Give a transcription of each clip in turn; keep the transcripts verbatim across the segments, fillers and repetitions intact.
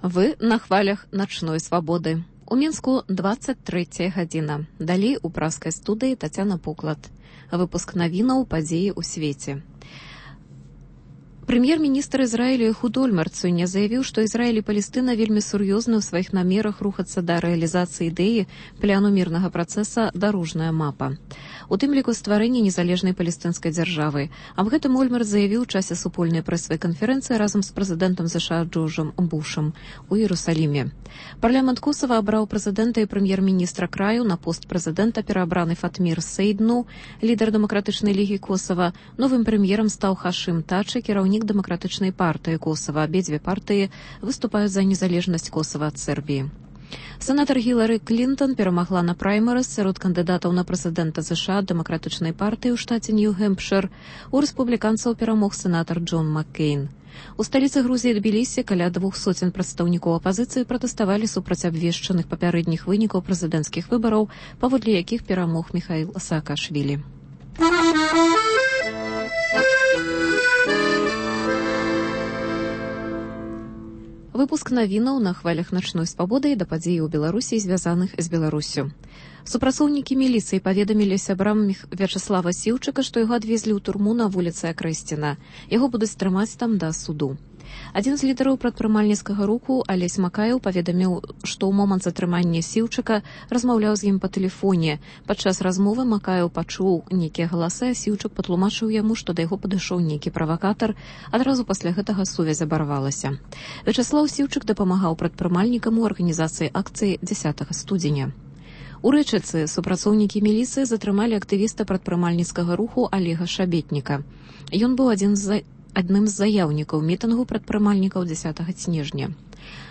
Вы на хвалях начной свабоды. У Мінску двадцать третья гадзіна. Далей у праскай студыі Тацяна Пуклад. Выпуск навінаў падзеі ў свеце. Прэм'ер-міністр Ізраілю Эхуд Ольмерт сёння заявіў, што Ізраіль і Палестына вельмі сур'ёзны ў сваіх намерах рухацца да рэалізацыі ідэі пляну мірнага працэса «Дарожная мапа». У тым ліку стварэння незалежнай палестынскай дзяржавы. Аб гэтым Ольмерт заявіў у часе супольнай прэсавай канферэнцыі разам з прэзідэнтам США Джорджам Бушам у Іерусаліме. Парламент Косава абраў прэзідэнта і прэм'ер-міністра краю, на пост прэзідэнта пераабраны Фатмір Сейдну, лідар дэмакратычнай лігі Косава. Новым прэм'ерам стаў Хашым Тачы, кіраўнік дэмакратычнай партыі Косава. Абедзве партыі выступаюць за незалежнасць Косава ад Сербіі. Сенатар Гілары Клінтон перамагла на праймерыз сярод кандыдатаў на прэзідэнта США дэмакратычнай партыі ў штаце Нью-Гэмпшыр. У рэспубліканцаў перамог сенатар Джон Маккейн. У сталіцы Грузіі Тбілісі каля двух соцень прадстаўнікоў апазіцыі пратэставалі супраць абвешчаных папярэдніх вынікаў прэзідэнцкіх выбараў, паводле якіх перамог Міхаіл Саакашвілі. Выпуск навінаў на хвалях начной свабоды і да падзеі ў Беларусі, звязаных з Беларуссю. Супрацоўнікі міліцыі паведамілі сябрам Вячаслава Сіўчыка, што яго адвезлі ў турму на вуліцы Акрэсціна. Яго будуць трымаць там да суду. Адзін з лідараў прадпрымальніцкага руху, Алесь Макаеў, паведаміў, што ў момант затрымання Сіўчыка размаўляў з ім па тэлефоне. Падчас размовы Макаеў пачуў нейкія галасы, а Сіўчык патлумачыў яму, што да яго падышоў нейкі правакатар. Адразу пасля гэтага сувязь абарвалася. Вячаслаў Сіўчык дапамагаў прадпрымальнікам у арганізацыі акцыі дзясятага студзеня. У Рэчыцы супрацоўнікі міліцыі затрымалі актывіста прадпрымальніцкага руху Алега Шабетніка. Ён быў адзін з адным з заяўнікаў мітынгу прадпрымальнікаў дзясятага снежня.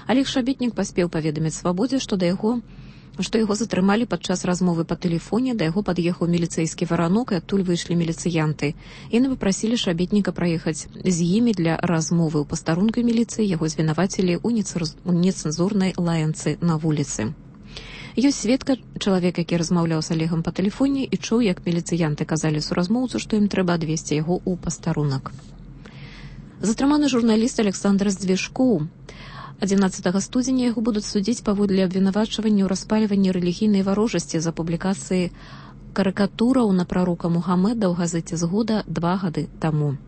Алег Шабетнік паспеў паведаміць свабодзе, што да яго што яго затрымалі падчас размовы па тэлефоне, да яго пад'ехаў міліцэйскі варанок, і адтуль выйшлі міліцыянты. Яны папрасілі Шабетніка праехаць з імі для размовы. У пастарунку міліцыі яго звінавацілі ў нецэнзурнай лаянцы на вуліцы. Ёсць сведка, чалавек, які размаўляў з Алегам па тэлефоне і чуў, як міліцыянты казалі суразмоўцу, што ім трэба адвесці яго ў пастарунак. Затрыманы журналіст Александр Здвижкоў. адзінаццатага студзеня яго будуць судзіць паводле абвінавачвання ў распальванні рэлігійнай варожасці за публікацыі карыкатураў на прарока Мухаммеда ў газеце «Згода» два гады таму.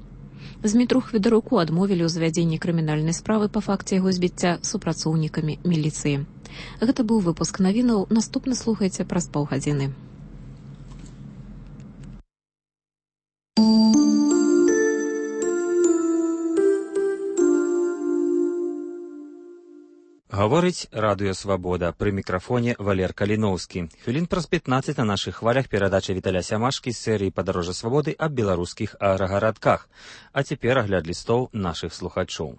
Змітру Хведаруку адмовілі ў завядзенні крымінальнай справы па факце яго збіцця супрацоўнікамі міліцыі. Гэта быў выпуск навінаў. Наступны слухайце праз паўгадзіны. Гаворыць радыё «Свабода». Пры мікрафоне Валер Каліноўскі. Хвілін праз пятнаццаць на нашых хвалях перадача Віталя Сямашкі з серыі «Падарожжа свабоды» аб беларускіх аграгарадках. А цяпер агляд лістоў нашых слухачоў.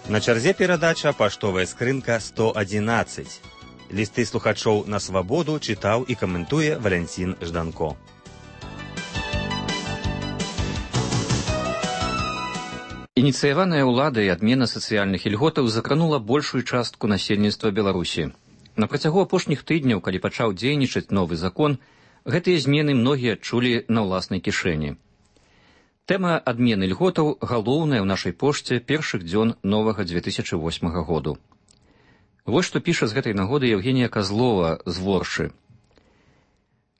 На чарзе перадача «Паштовая скрынка сто адзінаццаць». Лісты слухачоў на свабоду чытаў і каментуе Валянцін Жданко. Ініцыяваная ўладай адмена сацыяльных ільготаў закранула большую частку насельніцтва Беларусі. На працягу апошніх тыдняў, калі пачаў дзейнічаць новы закон, гэтыя змены многія адчулі на ўласнай кішэні. Тэма адмены ільготаў галоўная ў нашай пошце першых дзён новага дзве тысячы восьмага году. Вось што піша з гэтай нагоды Евгенія Козлова з Воршы.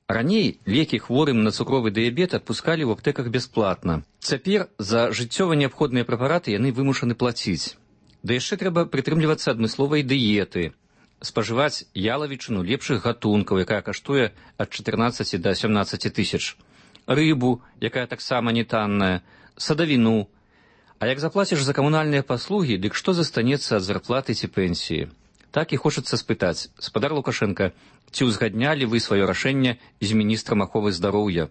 Раней лекі хворым на цукровы дыябет адпускалі ў аптэках бясплатна. Цяпер за жыццёва неабходныя прэпараты яны вымушаны плаціць. Да яшчэ трэба прытрымлівацца адмысловай дыеты, спажываць ялавічыну лепшых гатункаў, якая каштуе ад чатырнаццаці да сямнаццаці тысяч, рыбу, якая таксама не танная, садавіну. А як заплаціш за камунальныя паслугі, дык што застанецца ад зарплаты ці пенсіі? Так і хочацца спытаць, спадар Лукашенка, ці ўзгаднялі вы сваё рашэнне з міністрам аховы здароўя?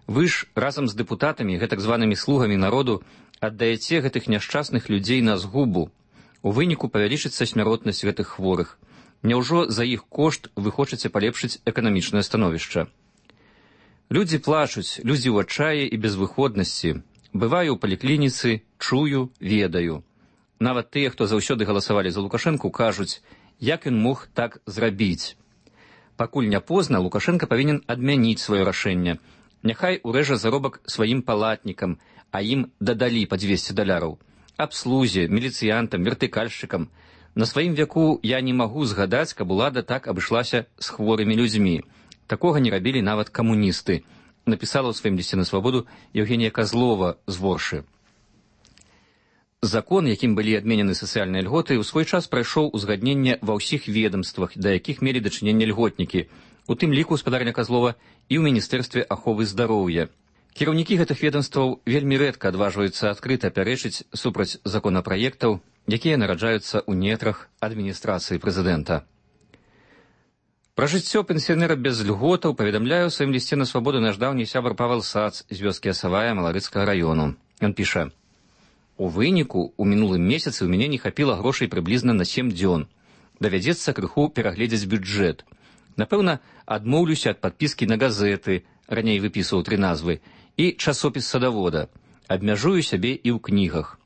Вы ж разам з дэпутатамі, гэтак званымі слугамі народу, аддаеце гэтых няшчасных людзей на згубу. У выніку павялічыцца смяротнасць гэтых хворых. Няўжо за іх кошт вы хочаце палепшыць эканамічнае становішча? Людзі плачуць, людзі ў адчаі і безвыходнасці. Бываю ў паліклініцы, чую, ведаю. Нават тыя, хто заўсёды галасавалі за Лукашэнку, кажуць, як ён мог так зрабіць. Пакуль не позна, Лукашенка павінен адмяніць сваё рашэнне. Няхай урэжа заробак сваім палатнікам, а ім дадалі па дзвесце даляраў. Абслузе, міліцыянтам, вертыкальшчыкам. На сваім вяку я не магу згадаць, каб улада так абышлася з хворымі людзьмі. Такога не рабілі нават камуністы, напісала ў сваім лісце на свабоду Евгенія Козлова з Воршы. Закон, якім былі адменены сацыяльныя льготы, у свой час прайшоў узгадненне ва ўсіх ведомствах, да якіх мелі дачыненне льготнікі, у тым ліку гаспадарня Козлова і ў міністэрстве аховы здароўя. Кіраўнікі гэтых ведомстваў вельмі рэдка адважваюцца адкрыта пярэчыць супраць законапраектаў, якія нараджаюцца ў нетрах адміністрацыі прэзідэнта. Пра жыццё пенсіянера без льготаў паведамляе ў сваім лісце на свабоду наш даўні сябар Павел Сац з вёскі Асавая Маларыцкага раёну. Ён піша: «У выніку, у мінулым месяцы ў мяне не хапіла грошай прыблізна на сем дзён. Давядзецца крыху перагледзець бюджэт. Напэўна, адмоўлюся ад падпіскі на газеты, раней выпісваў тры назвы, і часопіс садавода. Абмяжую сябе і ў кнігах.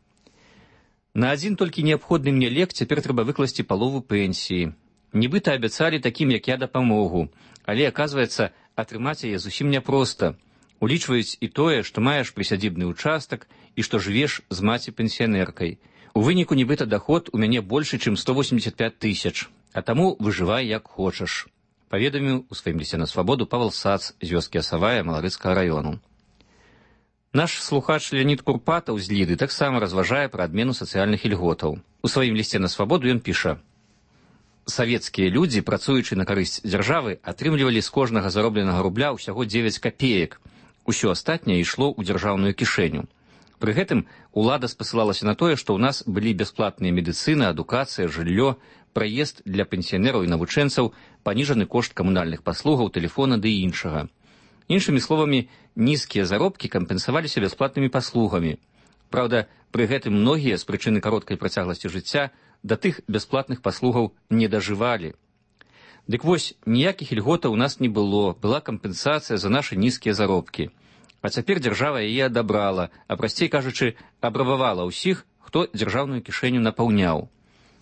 На адзін толькі неабходны мне лек цяпер трэба выкласці палову пенсіі. Нібыта абяцалі такім, як я, дапамогу, але, аказваецца, атрымаць яе зусім няпроста. Улічваюць і тое, што маеш прысядзібны ўчастак і што жывеш з маці-пенсіянеркай. У выніку нібыта даход у мяне большы, чым сто восемьдесят пять тысяч, а таму выжывай як хочаш», паведаміў у сваім лісце на свабоду Павел Сац з вёскі Асавая Маларыцкага раёну. Наш слухач Леонид Курпатаў з Ліды таксама разважае пра адмену сацыяльных ільготаў. У сваім лісце на свабоду ён піша: «Савецкія людзі, працуючы на карысць дзяржавы, атрымлівалі з кожнага заробленага рубля ўсяго дзевяць капеек. Усё астатняе ішло ў дзяржаўную кішэню. Пры гэтым улада спасылалася на тое, што ў нас былі бясплатныя медыцына, адукацыя, жыллё, праезд для пенсіянераў і навучэнцаў, паніжаны кошт камунальных паслугаў, тэлефона ды іншага. Іншымі словамі, нізкія заробкі кампенсаваліся бясплатнымі паслугамі. Праўда, пры гэтым многія з прычыны кароткай працягласці жыцця да тых бясплатных паслугаў не дажывалі. Дык вось, ніякіх ільготаў у нас не было, была кампенсацыя за нашы нізкія заробкі. А цяпер дзяржава яе адабрала, а прасцей кажучы, абрабавала ўсіх, хто дзяржаўную кішэню напаўняў.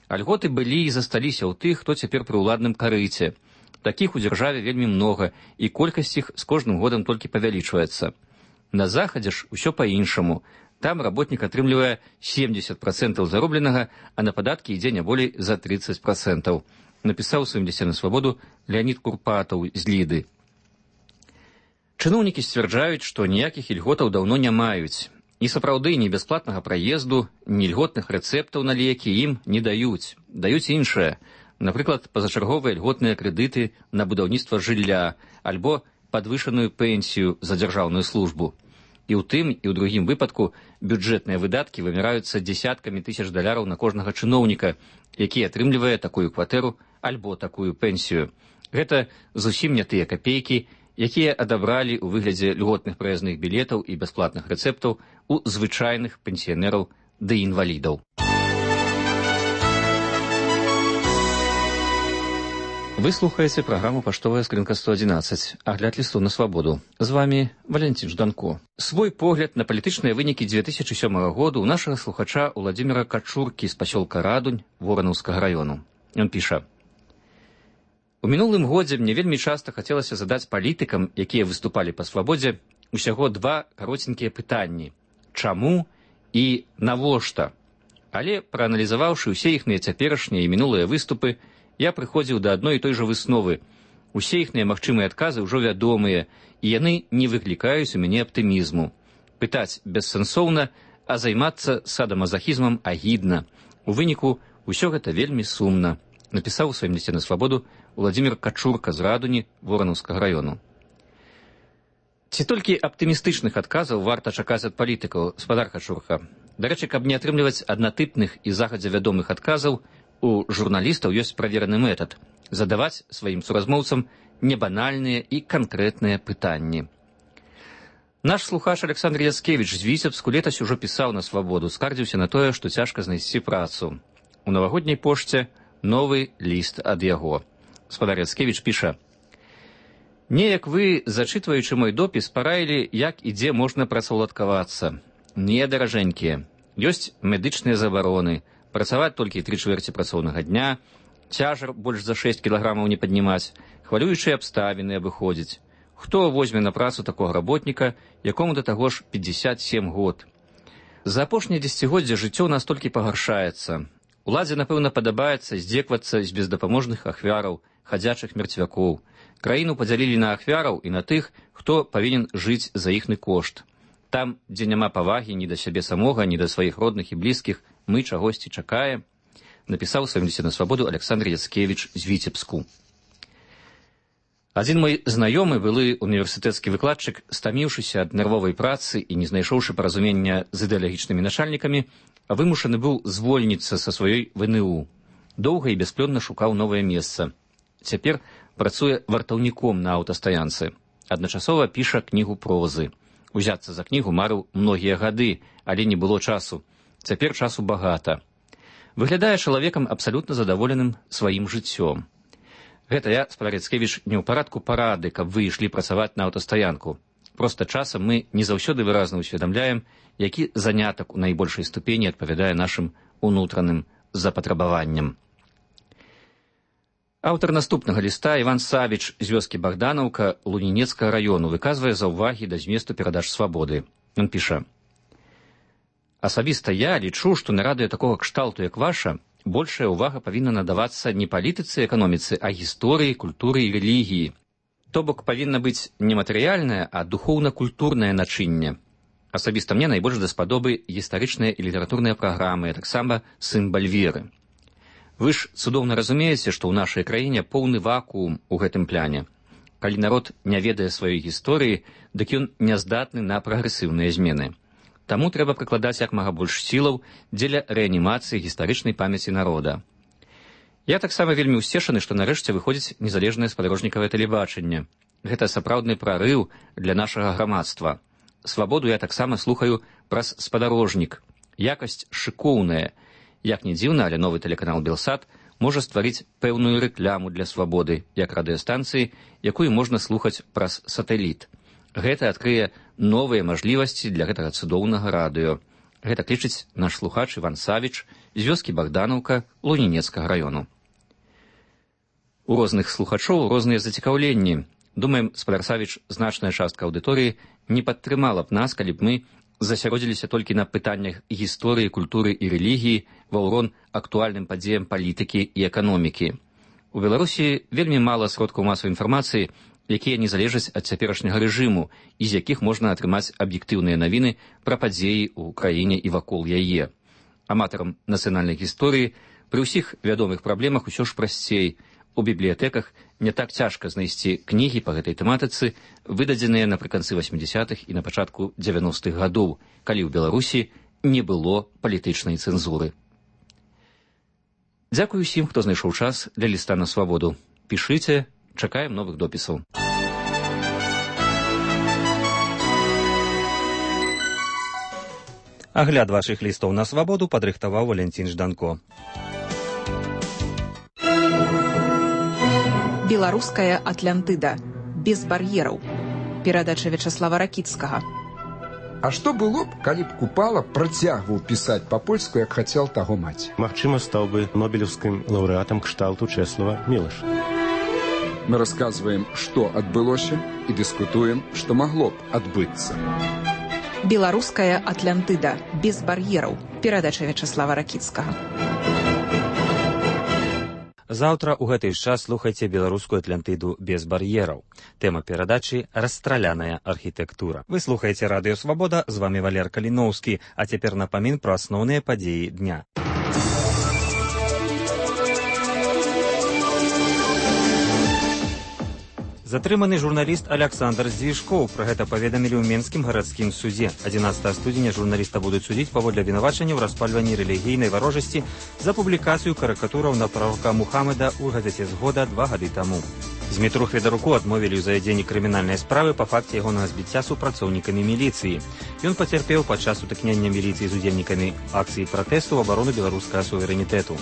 А льготы былі і засталіся ў тых, хто цяпер пры ўладным карыце. Такіх у дзяржаве вельмі многа, і колькасць іх з кожным годам толькі павялічваецца. На захадзе ж усё па-іншаму. Там работнік атрымлівае семьдесят процентаў заробленага, а на падаткі ідзе не болей за тридцать процентаў. Напісаў у сваім лісце на свабоду Леонид Курпатаў з Ліды. Чыноўнікі сцвярджаюць, што ніякіх ільготаў даўно не маюць. І сапраўды ні бясплатнага праезду, ні льготных рэцэптаў на лекі ім не даюць. Даюць іншае. Напрыклад, пазачарговыя льготныя крэдыты на будаўніцтва жылля альбо падвышаную пенсію за дзяржаўную службу. І ў тым, і ў другім выпадку бюджэтныя выдаткі вымяраюцца дзесяткамі тысяч даляраў на кожнага чыноўніка, які атрымлівае такую кватэру альбо такую пенсію. Гэта зусім не тыя капейкі, якія адабралі ў выглядзе льготных праязных білетаў і бясплатных рэцэптаў у звычайных пенсіянераў ды інвалідаў. Вы слухаеце праграму «Паштовая скрынка сто адзінаццаць», агляд лісту на свабоду. З вами Валентин Жданко. Свой погляд на палітычныя вынікі две тысячи сёмага году у нашага слухача Уладзіміра Качуркі з пасёлка Радунь Воранаўскага раёну. Ён піша: «У мінулым годзе мне вельмі часта хацелася задаць палітыкам, якія выступалі па свабодзе, усяго два кароценькія пытанні: чаму і навошта? Але, прааналізаваўшы ўсе іхныя цяперашнія і мінулыя выступы, я прыходзіў да адной і той жа высновы. Усе іхныя магчымыя адказы ўжо вядомыя, і яны не выклікаюць у мяне аптымізму. Пытаць бессэнсоўна, а займацца садамазахізмам агідна. У выніку ўсё гэта вельмі сумна», напісаў у сваім лісце на свабоду Уладзімір Качурка з Радуні Воранаўскага раёну. Ці толькі аптымістычных адказаў варта чакаць ад палітыкаў, спадар Качурка? Дарэчы, каб не атрымліваць аднатыпных і загадзя вядомых адказаў, у журналістаў ёсць правераны метад – задаваць сваім суразмоўцам небанальныя і канкрэтныя пытанні. Наш слухач Александр Яцкевіч з Віцебску летась ужо пісаў на свабоду, скардзіўся на тое, што цяжка знайсці працу. У навагодняй пошце новы ліст ад яго. Спадар Яцкевіч піша: «Неяк вы, зачытваючы мой допіс, параілі, як і дзе можна працаўладкавацца. Не, даражэнькія. Ёсць медычныя забароны, працаваць толькі тры чвэрці працоўнага дня, цяжар больш за шэсць кілаграмаў не паднімаць, хвалюючыя абставіны абыходзіць. Хто возьме на працу такога работніка, якому да таго ж пятьдесят семь год? За апошняе дзесяцігоддзе жыццё ў нас толькі пагаршаецца. Уладзе, напэўна, падабаецца здзеквацца з бездапаможных ахвяраў, хадзячых мерцвякоў. Краіну падзялілі на ахвяраў і на тых, хто павінен жыць за іхны кошт. Там, дзе няма павагі ні да сябе самога, ні да сваіх родных і блізкіх, мы чагосьці чакаем, напісаў у сваім лісце на свабоду Александр Яцкевіч з Віцебску. Адзін мой знаёмы, былы універсітэцкі выкладчык, стаміўшыся ад нервовай працы і не знайшоўшы паразумення з ідэалагічнымі начальнікамі, вымушаны быў звольніцца са сваёй вэ эн у. Доўга і бясплённа шукаў новае месца. Цяпер працуе вартаўніком на аўтастаянцы. Адначасова піша кнігу прозы. Узяцца за кнігу марыў многія гады, але не было часу. Цяпер часу багата. Выглядае чалавекам абсалютна задаволеным сваім жыццём. Гэта я, спадар Яцкевіч, не ў парадку парады, каб вы ішлі працаваць на аўтастаянку. Проста часам мы не заўсёды выразна ўсведамляем, які занятак у найбольшай ступені адпавядае нашым унутраным запатрабаванням. Аўтар наступнага ліста Іван Савіч з вёскі Богданаўка Лунінецкага раёну выказвае заўвагі да зместу перадач свабоды. Ён піша: «Асабіста я лічу, што на радыё такога кшталту, як ваша, большая ўвага павінна надавацца не палітыцы і эканоміцы, а гісторыі, культуры і рэлігіі. То бок павінна быць не матэрыяльнае, а духоўна-культурнае начынне. Асабіста мне найбольш даспадобы гістарычныя і літаратурныя праграмы, а таксама сімбаль веры. Вы ж цудоўна разумееце, што ў нашай краіне поўны вакуум у гэтым пляне. Калі народ не ведае сваёй гісторыі, дык ён няздатны на прагрэсіўныя змены. Таму трэба прыкладаць як мага больш сілаў дзеля рэанімацыі гістарычнай памяці народа. Я таксама вельмі ўсцешаны, што нарэшце выходзіць незалежнае спадарожнікавае тэлебачанне. Гэта сапраўдны прарыў для нашага грамадства. Свабоду я таксама слухаю праз спадарожнік. Якасць шыкоўная. Як не дзіўна, але новы тэлеканал Белсат можа стварыць пэўную рэкляму для свабоды, як радыёстанцыі, якую можна слухаць праз сатэліт. Гэта адкрые новыя мажлівасці для гэтага цудоўнага радыё. Гэта лічыць наш слухач Іван Савіч з вёскі Богданаўка Лунінецкага раёну. У розных слухачоў розныя зацікаўленні. Думаем, спадар Савіч, значная частка аўдыторыі не падтрымала б нас, калі б мы засяродзіліся толькі на пытаннях гісторыі, культуры і рэлігіі ва ўрон актуальным падзеям палітыкі і эканомікі. У Беларусі вельмі мала сродкаў масавай інфармацыі, якія не залежаць ад цяперашняга рэжыму і з якіх можна атрымаць аб'ектыўныя навіны пра падзеі ў краіне і вакол яе. Аматарам нацыянальнай гісторыі пры ўсіх вядомых праблемах усё ж прасцей. У бібліятэках не так цяжка знайсці кнігі па гэтай тэматыцы, выдадзеныя напрыканцы васьмідзясятых і на пачатку дзевяностых гадоў, калі ў Беларусі не было палітычнай цэнзуры. Дзякую усім, хто знайшоў час для ліста на свабоду. Пішыце, чакаем новых допісаў. Агляд вашых лістоў на свабоду падрыхтаваў Валянцін Жданко. Беларуская Атлантыда. Без бар'ераў. Перадача Вячаслава Ракіцкага. А што было б, калі б Купала працягваў пісаць па-польску, як хацеў таго маці? Магчыма, стаў бы нобелеўскім лаўрэатам кшталту Чэслава Мілаша. Мы расказваем, што адбылося, і дыскутуем, што магло б адбыцца. Беларуская Атлантыда. Без бар'ераў. Перадача Вячаслава Ракіцкага. Заўтра ў гэты час слухайце беларускую Атлантыду без бар'ераў. Тэма перадачы «Расстраляная архітэктура». Вы слухаеце радыё «Свабода», з вами Валер Каліноўскі, а цяпер напамін пра асноўныя падзеі дня. Затрыманы журналіст Аляксандр Здвіжкоў. Пра гэта паведамілі ў Менскім гарадскім судзе. адзінаццатага студзеня журналіста будуць судзіць паводле абвінавачання ў распальванні рэлігійнай варожасці за публікацыю карыкатураў на прарока Мухаммеда ў газеце «Згода» два гады таму. Змітру Хведаруку адмовілі ў завядзенні крымінальнай справы па факце ягонага збіцця супрацоўнікамі міліцыі. Ён пацярпеў падчас сутыкнення міліцыі з удзельнікамі акцыі пратэсту ў абарону беларускага суверэнітэту.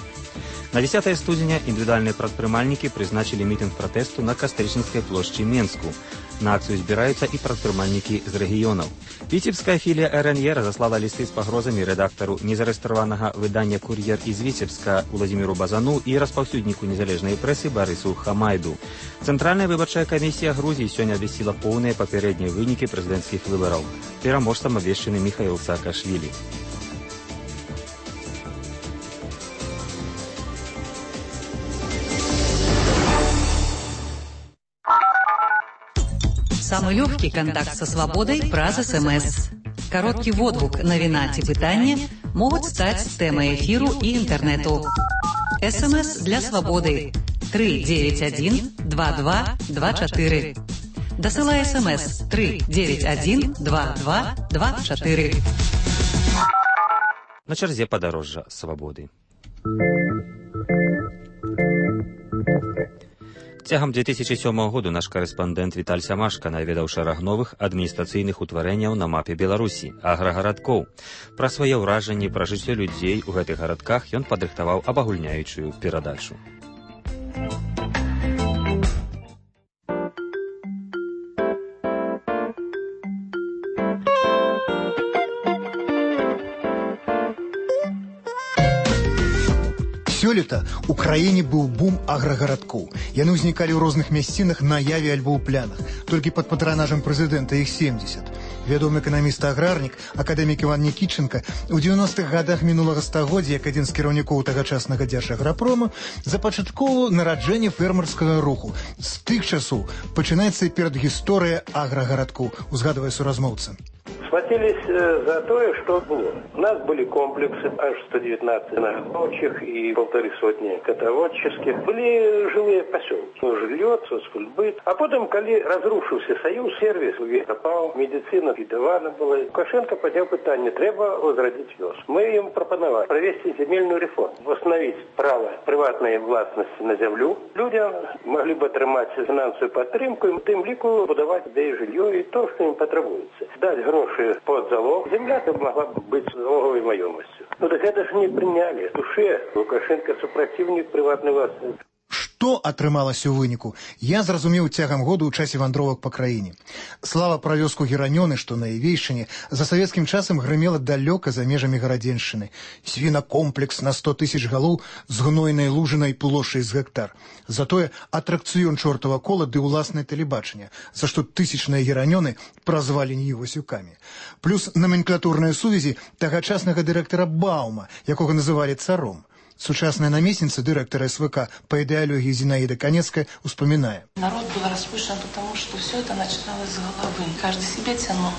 На дзесятае студзеня індывідуальныя прадпрымальнікі прызначылі мітынг пратэсту на Кастэрчынскай плошчы Менску. На акцыю збіраюцца і прадпрымальнікі з рэгіёнаў. Віцебская філія эр эн е разаслала лісты з пагрозамі рэдактару незарэстраванага выдання «Кур'ер» з Віцебска Уладзіміру Базану і распаўсюдніку незалежнай прэсы Барысу Хамайду. Цэнтральная выбарчая камісія Грузіі сёння абвясціла поўныя папярэднія вынікі прэзідэнцкіх выбараў. Пераможцам абвешчаны Міхаіл Саакашвілі. Самый легкий контакт со свободой праз СМС. Короткий водгук навіна ці пытання могуць стаць тэмай эфіру і інтэрнэту. СМС для свободы три девять один два два два четыре. Дасылай СМС три девять один два два два четыре. На чарзе падарожжа свабоды. Цягам две тысячи сёмага году наш корэспандэнт Віталь Сямашка наведаў шэраг новых адміністрацыйных утварэнняў на мапе Беларусі, аграгарадкоў. Пра свае ўражанні пра жыццё людзей у гэтых гарадках ён падрыхтаваў абагульняючую перадачу. Сёлета ў краіне быў бум аграгарадкоў. Яны ўзнікалі ў розных мясцінах на яве альбо ў плянах. Толькі пад патранажам прэзідэнта іх семьдесят. Вядомы эканаміст-аграрнік, акадэмік Іван Нікітченка ў дзевяностых гадах мінулага стагоддзя, як адзін з кіраўнікоў тагачаснага дзяржаграпрома, запачаткоўваў нараджэнне фермерскага руху. З тых часоў пачынаецца перадгісторыя аграгарадкоў, узгадвае суразмоўца. Схватились э, за то, что было. У нас были комплексы, аж сто девятнадцать рабочих и полторы сотни котоводческих. Были жилые поселки. Жилье, соцкультбыт. А потом, когда разрушился союз, сервис пропал, медицина підавана была. Лукашенко поднял питание, треба возродить вёс. Мы им пропоновали провести земельную реформу, восстановить право приватной властности на землю. Людям могли бы отримать финансовую подтримку, и тем лику подавать де жилье и то, что им потребуется. Дать гроши под залог, земля-то могла бы быть залоговой маемостью. Ну так это же не приняли. В душе Лукашенко супротивник приватной власти. Што атрымалася ў выніку, я зразумеў цягам году ў часе вандровак па краіне. Слава пра вёску Геранёны, што на Івейшчыне, за савецкім часам грымела далёка за межамі гарадзеншчыны. Свінакомплекс на сто тысяч галоў з гнойнай лужынай плошай з гектар. Затое атракцыён чортава кола ды ўласнае тэлебачанне, за што тысячныя Геранёны празвалі Нівасюкамі. Плюс номенклатурныя сувязі тагачаснага дырэктара Баума, якога называлі царом. Сучасная наместница директора СВК по идеологии Зинаида Конецкая вспоминает. Народ был распущен, потому что все это начиналось с головы. Каждый себе тянул.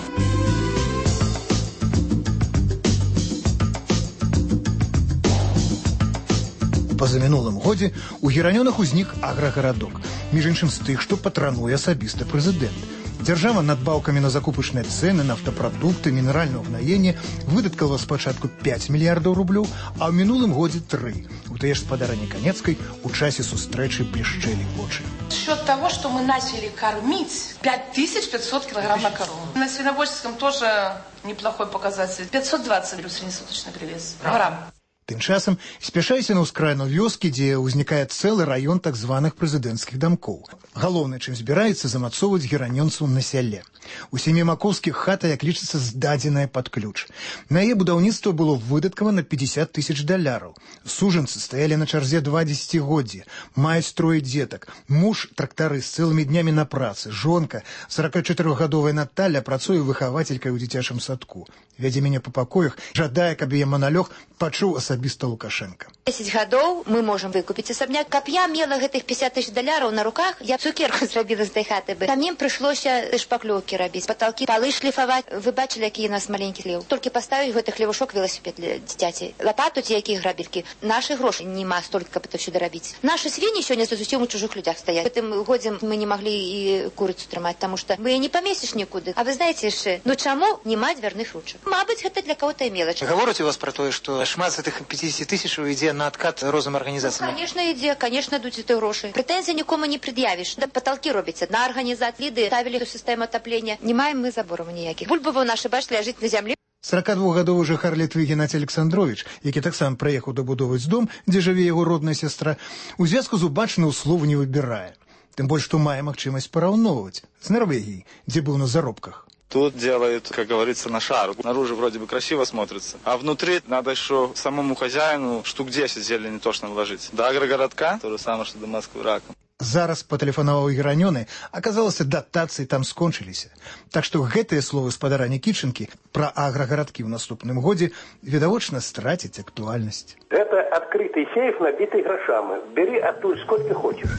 Позамінулым годзе у Геранёнах узнік аграгарадок, між іншым з тых, што патрануе асабіста прэзідэнт. Дзяржава надбаўкамі на закупачныя цэны, нафтапрадукты, мінеральнае ўгнаенне выдаткала спачатку пять мільярдаў рублёў, а ў мінулым годзе тры. У тыя ж спадарыні Канецкай у часе сустрэчы блішчэлі вочы. Счет того, что мы начали кормить пять тысяч пятьсот килограмм на корову. На свиноводческом тоже неплохой показатель. пятьсот двадцать среднесуточный привес грамм. Тым часам спяшайся на ўскраіну вёскі, дзе ўзнікае цэлы раён так званых прэзідэнцкіх дамкоў. Галоўнае, чым збіраецца замацоўваць геранёнцаў на сяле. У сямі Макоўскіх хата, як лічыцца, здадзеная пад ключ. На яе будаўніцтва было выдаткавана пятьдесят тысяч даляраў. Сужанцы стаялі на чарзе два дзесяцігоддзі. Маюць трое дзетак. Муж трактары з цэлымі днямі на працы. Жонка, сорокачатырохгадовая Наталя, працуе выхавацелькай у дзіцячым садку. Вядзе мяне па пакоях, жадае, каб яе маналёг пачуў асабіста Лукашенко. десять гадоў мы можам выкупіць асабняк. Каб я мела гэтых пятьдесят тысяч даляраў на руках, я цукерку зрабіла з той хаты бы. Там ім прыйшлося шпаклёўкі рабіць, паталкі, палы шліфаваць. Вы бачылі, які у нас маленькі хлеў. Толькі паставіць гэты хлевушок велосипед для дзіцяці. Лапату ці якія грабелькі. Нашы грошы нема столькі, каб это ўсё дарабіць. Нашы свіні сёння зусім у чужых людзях стаяць. Гэтым годзе мы не маглі і курыцу трымаць, таму што мы не памесціш нікуды. А вы знаеце яшчэ, ну чаму не маць дзвярных ручак? Мабыць, гэта для кого-то мелач. Гавораць у вас про тое, што шмат з гэтых пятьдесят тысяч ідзе на адкат розным арганізацыям? Ну, конечно, ідзе, конечно, ідуць эти грошы. Прэтэнзій нікому не пред'явіш. Да паталкі робяць адна арганізацыя, ліды ставілі сістэму атаплення. Не маем мы забораў ніякіх. Бульбава наша, бачыць, ляжыць на зямлі. сорокадвухгадовы жыхар Літвы Геннадзій Александрович, які таксама прыехаў дабудоўваць дом, дзе жыве яго родная сястра, у звязку з убачаным слова не выбірае. Тым больш, што мае магчымасць параўноўваць з Норвегіяй, дзе быў на заробках. Тут делают, как говорится, на шару. Снаружи вроде бы красиво смотрится, а внутри надо еще самому хозяину штук десять зелени точно вложить. До агрогородка, то же самое, что до Москвы раком. Зараз патэлефанаваў Геранёны, аказалася, датацыі там скончыліся. Так што гэтыя словы спадара Нікітченкі пра аграгарадкі ў наступным годзе відавочна страцяць актуальнасць. Это открытый сейф, набитый грошами. Бери оттуда сколько хочешь.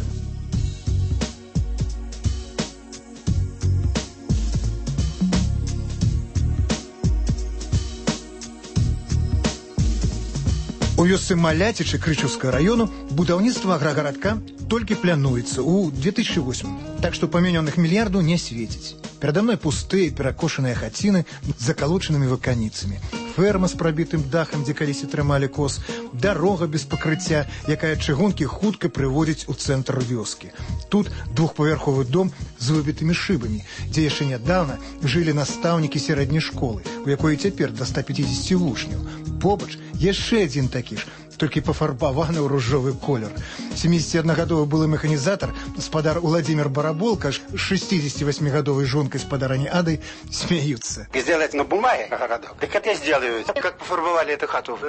У вёсцы Маляцічы Крычаўскага району будаўніцтва аграгарадка толькі плануецца ў две тысячи восьмым, так што памянёных мільярду не свеціць. Перада мной пустыя перакошаныя хаціны з закалочанымі ваканіцамі, ферма з прабітым дахам, дзе калісьці трымалі коз, дарога без пакрыцця, якая чыгункі хутка прыводзіць у цэнтр вёскі. Тут двухпавярховы дом з выбітымі шыбамі, дзе яшчэ нядаўна жылі настаўнікі сярэдняй школы, у якой цяпер да ста пяцідзесяці вучняў. Побач яшчэ адзін такі ж, толькі пафарбаваны ў ружовы колер. семидесятиодногадовый былы механізатар, спадар Владимир Бараболка з шестидесятивосьмигадовой жонкой спадарани Адой смеются. Сделать на бумаге городок? Так это я сделаю. Как пофарбовали эту хату?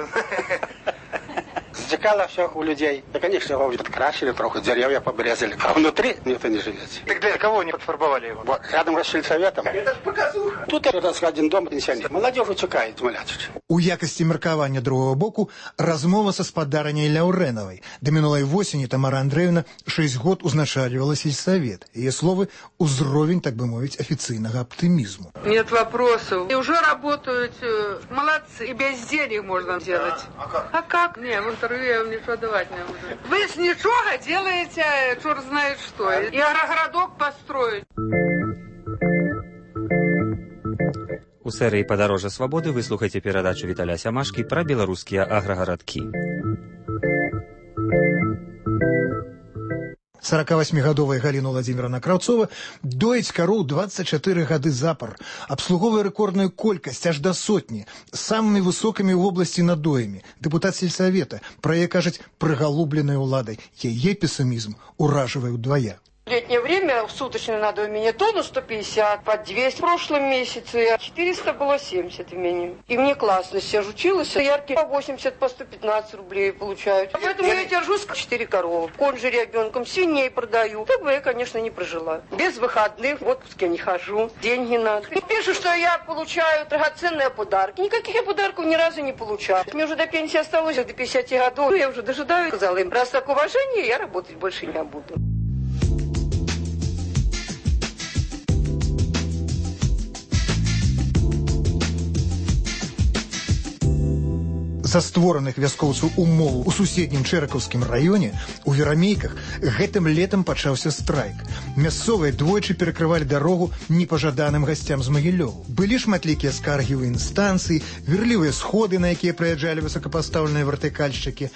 Затекало все у людей. Да, конечно, его подкрасили троху, деревья побрезали. А внутри никто не живет. Так для кого не подфарбовали его? Вот, рядом с сельсоветом. Это ж показуха. Тут раз один дом пенсионер. Молодежь утекает, Маляцич. У якасці меркавання другого боку размова са спадараняй Ляўрэнавай. Да мінулай восені Тамара Андреевна шесть год узначальвала сельсовет. Яе словы – узровень, так бы мовить, официального оптимизму. Нет вопросов. И уже работают. Молодцы. И без денег можно делать. А как? А как? Не, в интервью я вам ничего давать не буду. Вы с ничего делаете, черт знает что. И агрогородок построить. У серыі «Падарожжа свабоды» вы слухаеце перадачу Віталя Сямашкі пра беларускія аграгарадкі. сорокавосьмигадовая Галина Владимировна Краўцова доіць кароў двадцать четыре гады запар, абслуговвае рэкордную колькасць аж да сотні, самымі высокімі ў вобласці надоямі. Дэпутат сельсавета, пра яе кажуць прыгалубленай уладай. Яе пессімізм уражвае ўдвая. В летнее время в суточной надо у меня тонну сто пятьдесят, под двести в прошлом месяце, четыреста было семьдесят в меню. И мне классно, я же училась, яркие по восемьдесят, по сто пятнадцать рублей получают. А поэтому я держусь четыре коровы, конь же ребенком, свиней продаю. Так бы я, конечно, не прожила. Без выходных, в отпуск я не хожу, деньги надо. И пишут, что я получаю драгоценные подарки. Никаких я подарков ни разу не получала. Мне уже до пенсии осталось, до пятидесяти годов. Я уже дожидаюсь, сказала им, раз так уважение, я работать больше не буду. Са створаных вяскоўцаў умоваў у суседнім Чэракаўскім раёне у Верамейках гэтым летам пачаўся страйк. Мясцовыя двойчы перакрывалі дарогу непажаданым гасцям з Магілёву. Былі шматлікія скаргі ў інстанцыі, верлівыя сходы, на якія прыязджалі высокапастаўленыя вертыкальшчыкі.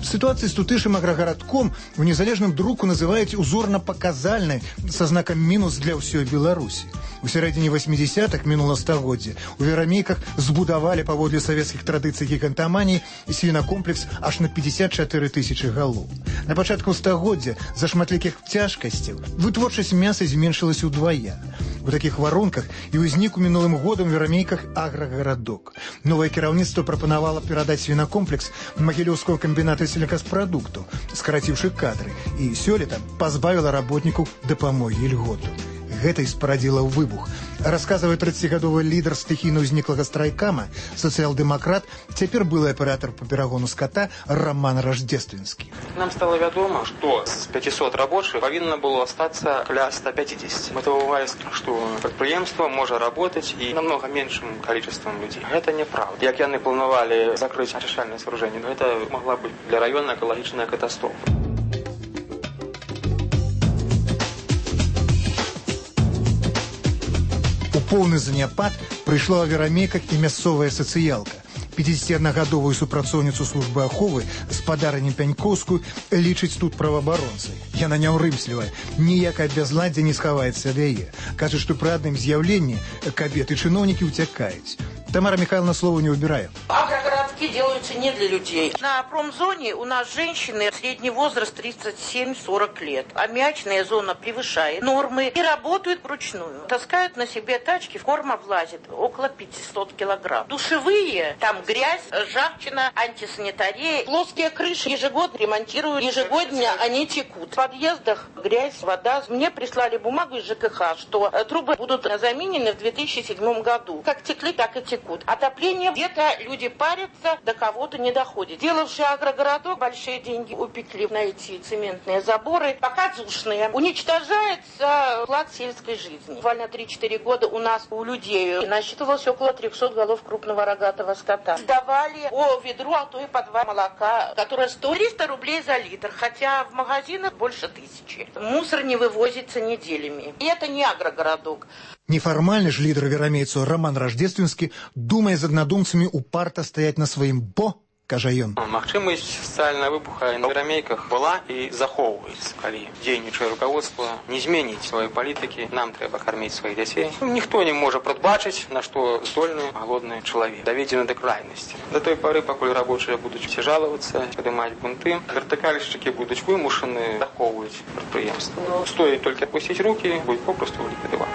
Ситуацию с тутышым аграгарадком в незалежным друку называюць узорна-паказальнай са знакам мінус для ўсёй Беларусі. У сярэдзіне восьмидесятых мінула стагоддзя у Верамейках збудавалі паводле савецкіх традыцый гігантаманіі свінакомплекс аж на пятьдесят четыре тысячи галоў. На пачатку стагоддзя за шматлікіх цяжкасцяў вытворчасць мяса зменшылася ўдвая. У такіх варунках і ўзнік у мінулым годам у Верамейках аграгарадок. Новае кіраўніцтва прапанавала перадаць свінакомплекс Магілёўского камбіната сельгаспродукту, скараціўшы кадры, і сёлета пазбавіла работнікаў дапамогі і льготу. Гэта і спарадзіла выбух. Расказвае тридцатигадовый лідар стыхійна ўзніклага страйкама, сацыял-дэмакрат, цяпер былы аператор па перагону скота Роман Рождественскі. Нам стало вядома, што з пятисот рабочих павінна было остаться каля ста пятидесяти. Это бывает, что предприемство может работать и намного меньшим количеством людей. Это неправда. Як яны планавалі закрыть очищальное сооружение, но это могла быть для района экологичная катастрофа. У поўны заняпад прыйшла ў Верамейках і мясцовая сацыялка. пятидесятиодногадовую супрацоўніцу службы аховы спадарыню Пянькоўскую лічыць тут праваабаронцай. Яна няўрымслівая, ніякае бязладдзе не схаваецца ад яе. Кажа, што пры адным з'яўленні кабеты чыноўнікі ўцякаюць. Тамара Михайловна слово не выбирает. Агрогородки делаются не для людей. На промзоне у нас женщины средний возраст тридцать семь сорок лет. Аммиачная зона превышает нормы и работают вручную. Таскают на себе тачки, корма влазит около пятисот килограмм. Душевые, там грязь, ржавчина, антисанитария. Плоские крыши ежегодно ремонтируют, ежегодно они текут. В подъездах грязь, вода. Мне прислали бумагу из ЖКХ, что трубы будут заменены в две тысячи седьмом году. Как текли, так и текут. Отопление, где-то люди парятся, просто до кого-то не доходит. Делавший агрогородок большие деньги упекли на эти цементные заборы, показушные. Уничтожается уклад сельской жизни. Буквально три-четыре года у нас у людей насчитывалось около трехсот голов крупного рогатого скота. Сдавали по ведру, а то и по два молока, которое стоит триста рублей за литр, хотя в магазинах больше тысячи. Мусор не вывозится неделями. И это не агрогородок. Неформальны ж лідар верамейцу Роман Рождественскі думае з аднадумцамі упарта стаяць на сваім бо, кажа ён. Магчымасць сацыяльнага выбуха на верамейках была і захоўваецца. Калі дзейнічае руководство не зменіць свае палітыкі, нам трэба карміць сваіх дзяцей. Ніхто не можа прадбачыць, на што здольны галодны чалавек. Даведзены да крайнасці. Да той пары, пакуль рабочыя будуць усе жалавацца, падымаць бунты, вертыкальшчыкі будуць вымушаны захоўваць прадпрыемства. Стоіць толькі апусціць рукі, будуць попросту ліквідаваць.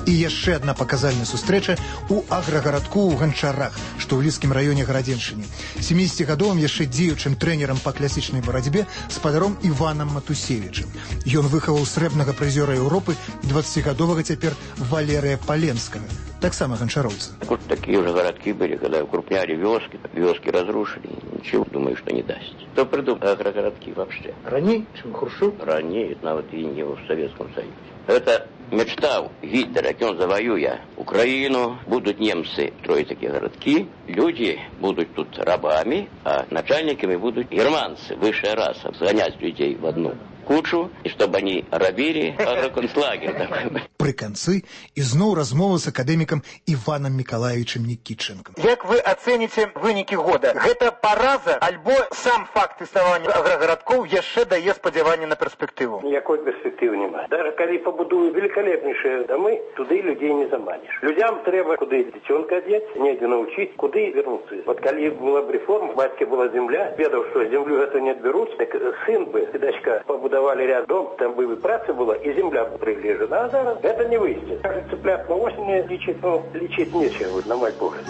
І яшчэ адна паказальная сустрэча ў аграгарадку ў Ганчарах, што ў лідскім раёне Гарадзеншчыны. сямідзесяцігадовым яшчэ дзеючым трэнерам па класічнай барацьбе спадаром Іванам Матусевічым. Ён выхаваў срэбнага прызёра Еўропы дваццацігадовага цяпер Валерыя Паленскага, таксама ганчароўца. Вот такие уже городки были, когда укрупняли вёски, вёски разрушили, ничего, думаю, что не даст. То придумали агрогородки вообще. Ранее, чем Хрущев? Ранее, навіть и не в Советском Союзе. Это мечта Гитлера, он завоюя Украину, будут немцы строить такие городки, люди будут тут рабами, а начальниками будут германцы, высшая раса, сгонять людей в одну кучу, и чтобы они рабили агроконцлагерь. Пры канцы ізноў размова з акадэмікам Іванам Мікалаевичем Нікітчэнкам. Як вы ацэніце вынікі года? Гэта параза, альбо сам факт існавання аграгарадкоў яшчэ дае спадзяванне на перспектыву? Ніякой перспектывы няма. Даже калі пабудуюць великолепнейшие домы, туды людей не заманишь. Людям трэба куды дзіцёнка адзець, недзе научить, куды вернуцца. Вот калі была б реформа, бацьке была земля, ведаў, што землю гэта не адбяруць, так сын бы и дачка побудовали ряд дом, там бы и праца была, и земля бы прилежена, а зараз это не выйдет. Кажется, цыплят на осень лечить, ну, лечить нечего, на мой погляд.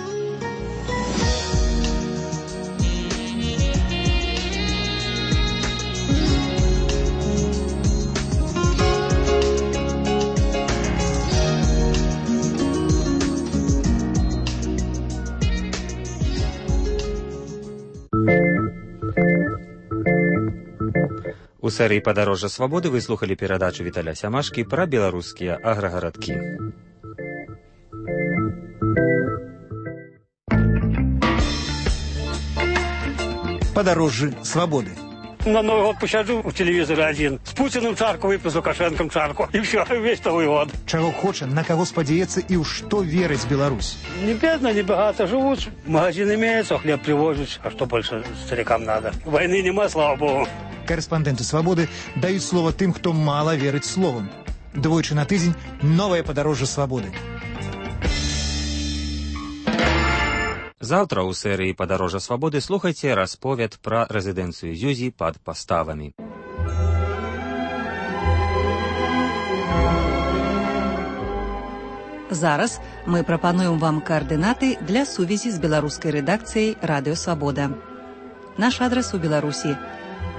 У серії «Падарожжа свабоды» вы слухали перадачу Віталя Сямашкі пра беларускія аграгарадкі. Падарожжы свабоды. На Новый год посяду в телевизоре один. С Путиным чарку выпью, с Лукашенком чарку. И все, весь Новый год. Чаго хоча, на кого спадзяецца і ў што верыць Беларусь? Не бедно, не богато живут. Магазин имеется, хлеб привозят. А что больше старикам надо? Войны нема, слава богу. Корэспандэнты свабоды даюць слова тым, хто мала верыць словам. Двойчы на тыдзень новае падарожжа свабоды. Заўтра ў серыі «Падарожжа свабоды» слухайце расповед пра рэзідэнцыю Зюзі пад паставамі. Зараз мы прапануем вам координаты для сувязі з беларускай рэдакцыяй «Радыё Свабода». Наш адрес у Беларусі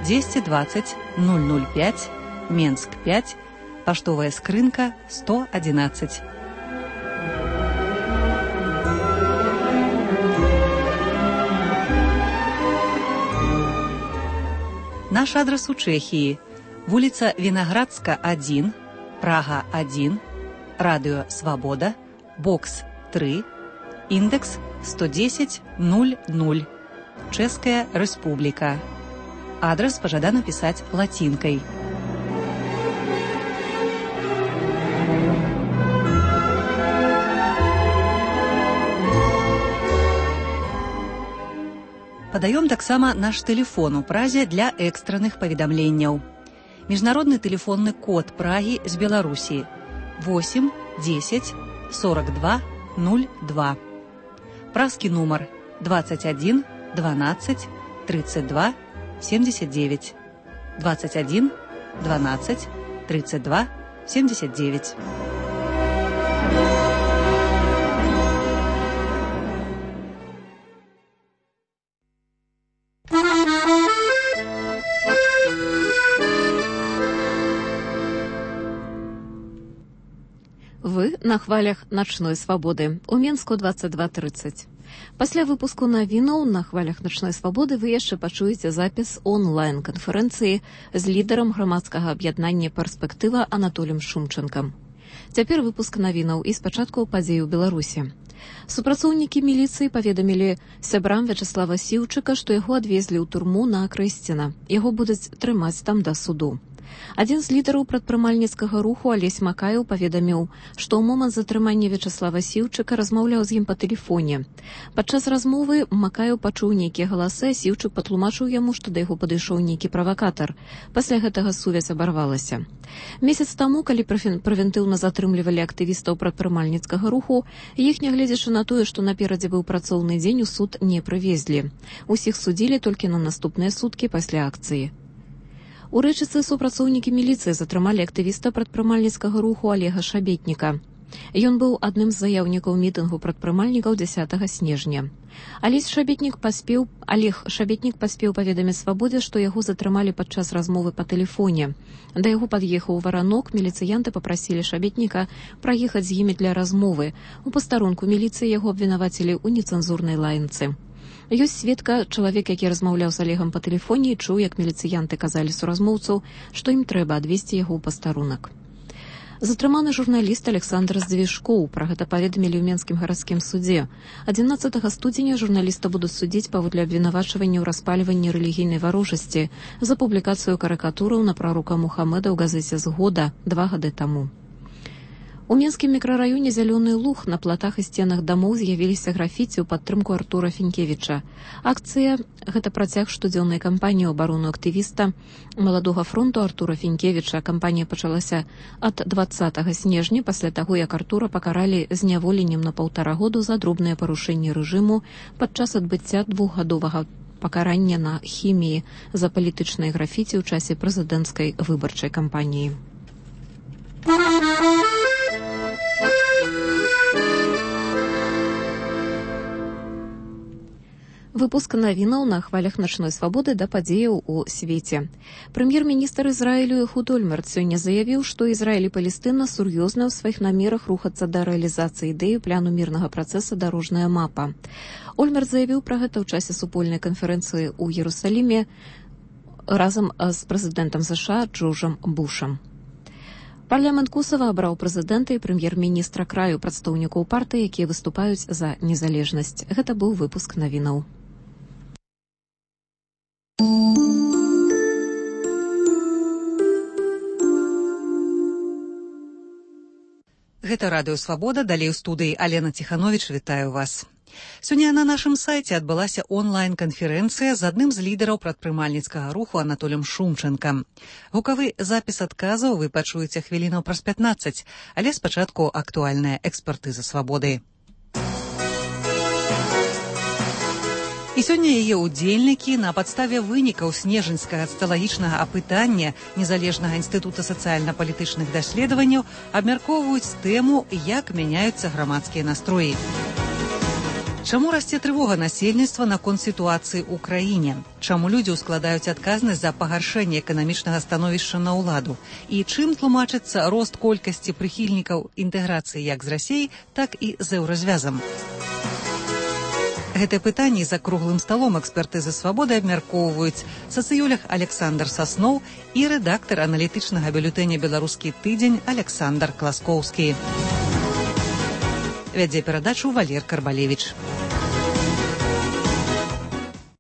двести двадцать ноль ноль пять, Менск пять, поштовая скрынка сто одиннадцать. Наш адрес у Чехии. Вулица Виноградска один, Прага один, Радио Свобода, бокс три, индекс сто десять ноль ноль, Чешская Республика. Адрес пожадано писать латинкой. Падаём таксама наш тэлефон у Празе для экстранных паведамленняў. Міжнародны тэлефонны код Прагі з Беларусі восемь десять сорок два ноль два. Празкі нумар двадцать один двенадцать тридцать два семьдесят девять. двадцать один двенадцать тридцать два семьдесят девять. на хвалях начной свабоды. У Менску двадцать два тридцать. Пасля выпуску навінаў на хвалях начной свабоды вы яшчэ пачуеце запіс онлайн-канферэнцыі з лідарам грамадскага аб'яднання «Перспектыва» Анатолем Шумченкам. Цяпер выпуск навінаў і спачатку падзей у Беларусі. Супрацоўнікі міліцыі паведамілі сябрам Вячаслава Сіўчыка, што яго адвезлі ў турму на Крэсціна. Яго будуць трымаць там да суду. Адзін з лідараў прадпрымальніцкага руху Алесь Макаеў паведаміў, што ў момант затрымання Вячаслава Сіўчыка размаўляў з ім па тэлефоне. Падчас размовы Макаеў пачуў нейкія галасы, а Сіўчык патлумачыў яму, што да яго падышоў нейкі правакатар. Пасля гэтага сувязь абарвалася. Месяц таму, калі прэвентыўна затрымлівалі актывістаў прадпрымальніцкага руху, іх, нягледзячы на тое, што наперадзе быў працоўны дзень, у суд не прывезлі. Усіх судзілі толькі на наступныя суткі пасля акцыі. У Рэчыцы супрацоўнікі міліцыі затрымалі актывіста прадпрымальніцкага руху Алега Шабетніка. Ён быў адным з заяўнікаў мітынгу прадпрымальнікаў дзясятага снежня. Алесь Шабетнік паспеў, Алег Шабетнік паспеў паведаміць свабодзе, што яго затрымалі падчас размовы па тэлефоне. Да яго пад'ехаў варанок, міліцыянты папрасілі Шабетніка праехаць з імі для размовы. У пастарунку міліцыі яго абвінавацілі ў нецэнзурнай лаянцы. Ёсць сведка, чалавек, які размаўляў з Алегам па тэлефоне, і чуў, як міліцыянты казалі суразмоўцу, што ім трэба адвесці яго ў пастарунак. Затрыманы журналіст Александр Здвижкоў. Пра гэта паведамілі ў Менскім гарадскім судзе. адзінаццатага студзеня журналіста будуць судзіць паводле абвінавачвання ў распальванні рэлігійнай варожасці за публікацыю карыкатураў на прарока Мухаммеда ў газеце «Згода» два гады таму. У Менскім мікрараёне «Зялёны луг» на платах і сценах дамоў з'явіліся графіці ў падтрымку Артура Фінкевіча. Акцыя – гэта працяг штодзённай кампаніі ў абарону актывіста маладога фронту Артура Фінкевіча. Кампанія пачалася ад дваццатага снежня, пасля таго, як Артура пакаралі зняволеннем на паўтара году за дробныя парушэнні рэжыму падчас адбыцця двухгадовага пакарання на хіміі за палітычныя графіці ў часе прэзідэнцкай выбарчай кампаніі. Выпуск навінаў на хвалях начной свабоды да падзеяў у свеце. Прэм'ер-міністр Ізраілю Эхуд Ольмерт сёння заявіў, што Ізраіль і Палестына сур'ёзныя ў сваіх намерах рухацца да рэалізацыі ідэі плану мірнага працэса «Дарожная мапа». Ольмерт заявіў пра гэта ў часе супольнай канферэнцыі ў Іерусаліме разам з прэзідэнтам США Джорджам Бушам. Парламент Косава абраў прэзідэнта і прэм'ер-міністра краю, прадстаўнікоў партыі, якія выступаюць за незалежнасць. Гэта быў выпуск навінаў. Гэта радыё «Свабода», далей у студыі Алена Ціхановіч, вітаю вас. Сёння на нашым сайце адбылася онлайн-канферэнцыя з адным з лідараў прадпрымальніцкага руху Анатолем Шумченкам. Гукавы запіс адказаў вы пачуеце хвілінаў праз пятнаццаць, але спачатку актуальная экспертыза «Свабоды». І сёння яе ўдзельнікі на падставе вынікаў снежаньскага ацыялагічнага апытання Незалежнага інстытута сацыяльна-палітычных даследаванняў абмяркоўваюць тэму, як мяняюцца грамадскія настроі. Чаму расце трывога насельніцтва наконт сітуацыі ў краіне? Чаму людзі ўскладаюць адказнасць за пагаршэнне эканамічнага становішча на ўладу? І чым тлумачыцца рост колькасці прыхільнікаў інтэграцыі як з Расіяй, так і з еўразвязам? Гэтае пытанне за круглым сталом экспертызы «Свабоды» абмяркоўваюць сацыёлог Александр Сасноў і рэдактар аналітычнага бюлетэня «Беларускі тыдзень» Александр Класкоўскі. Вядзе перадачу Валер Карбалевіч.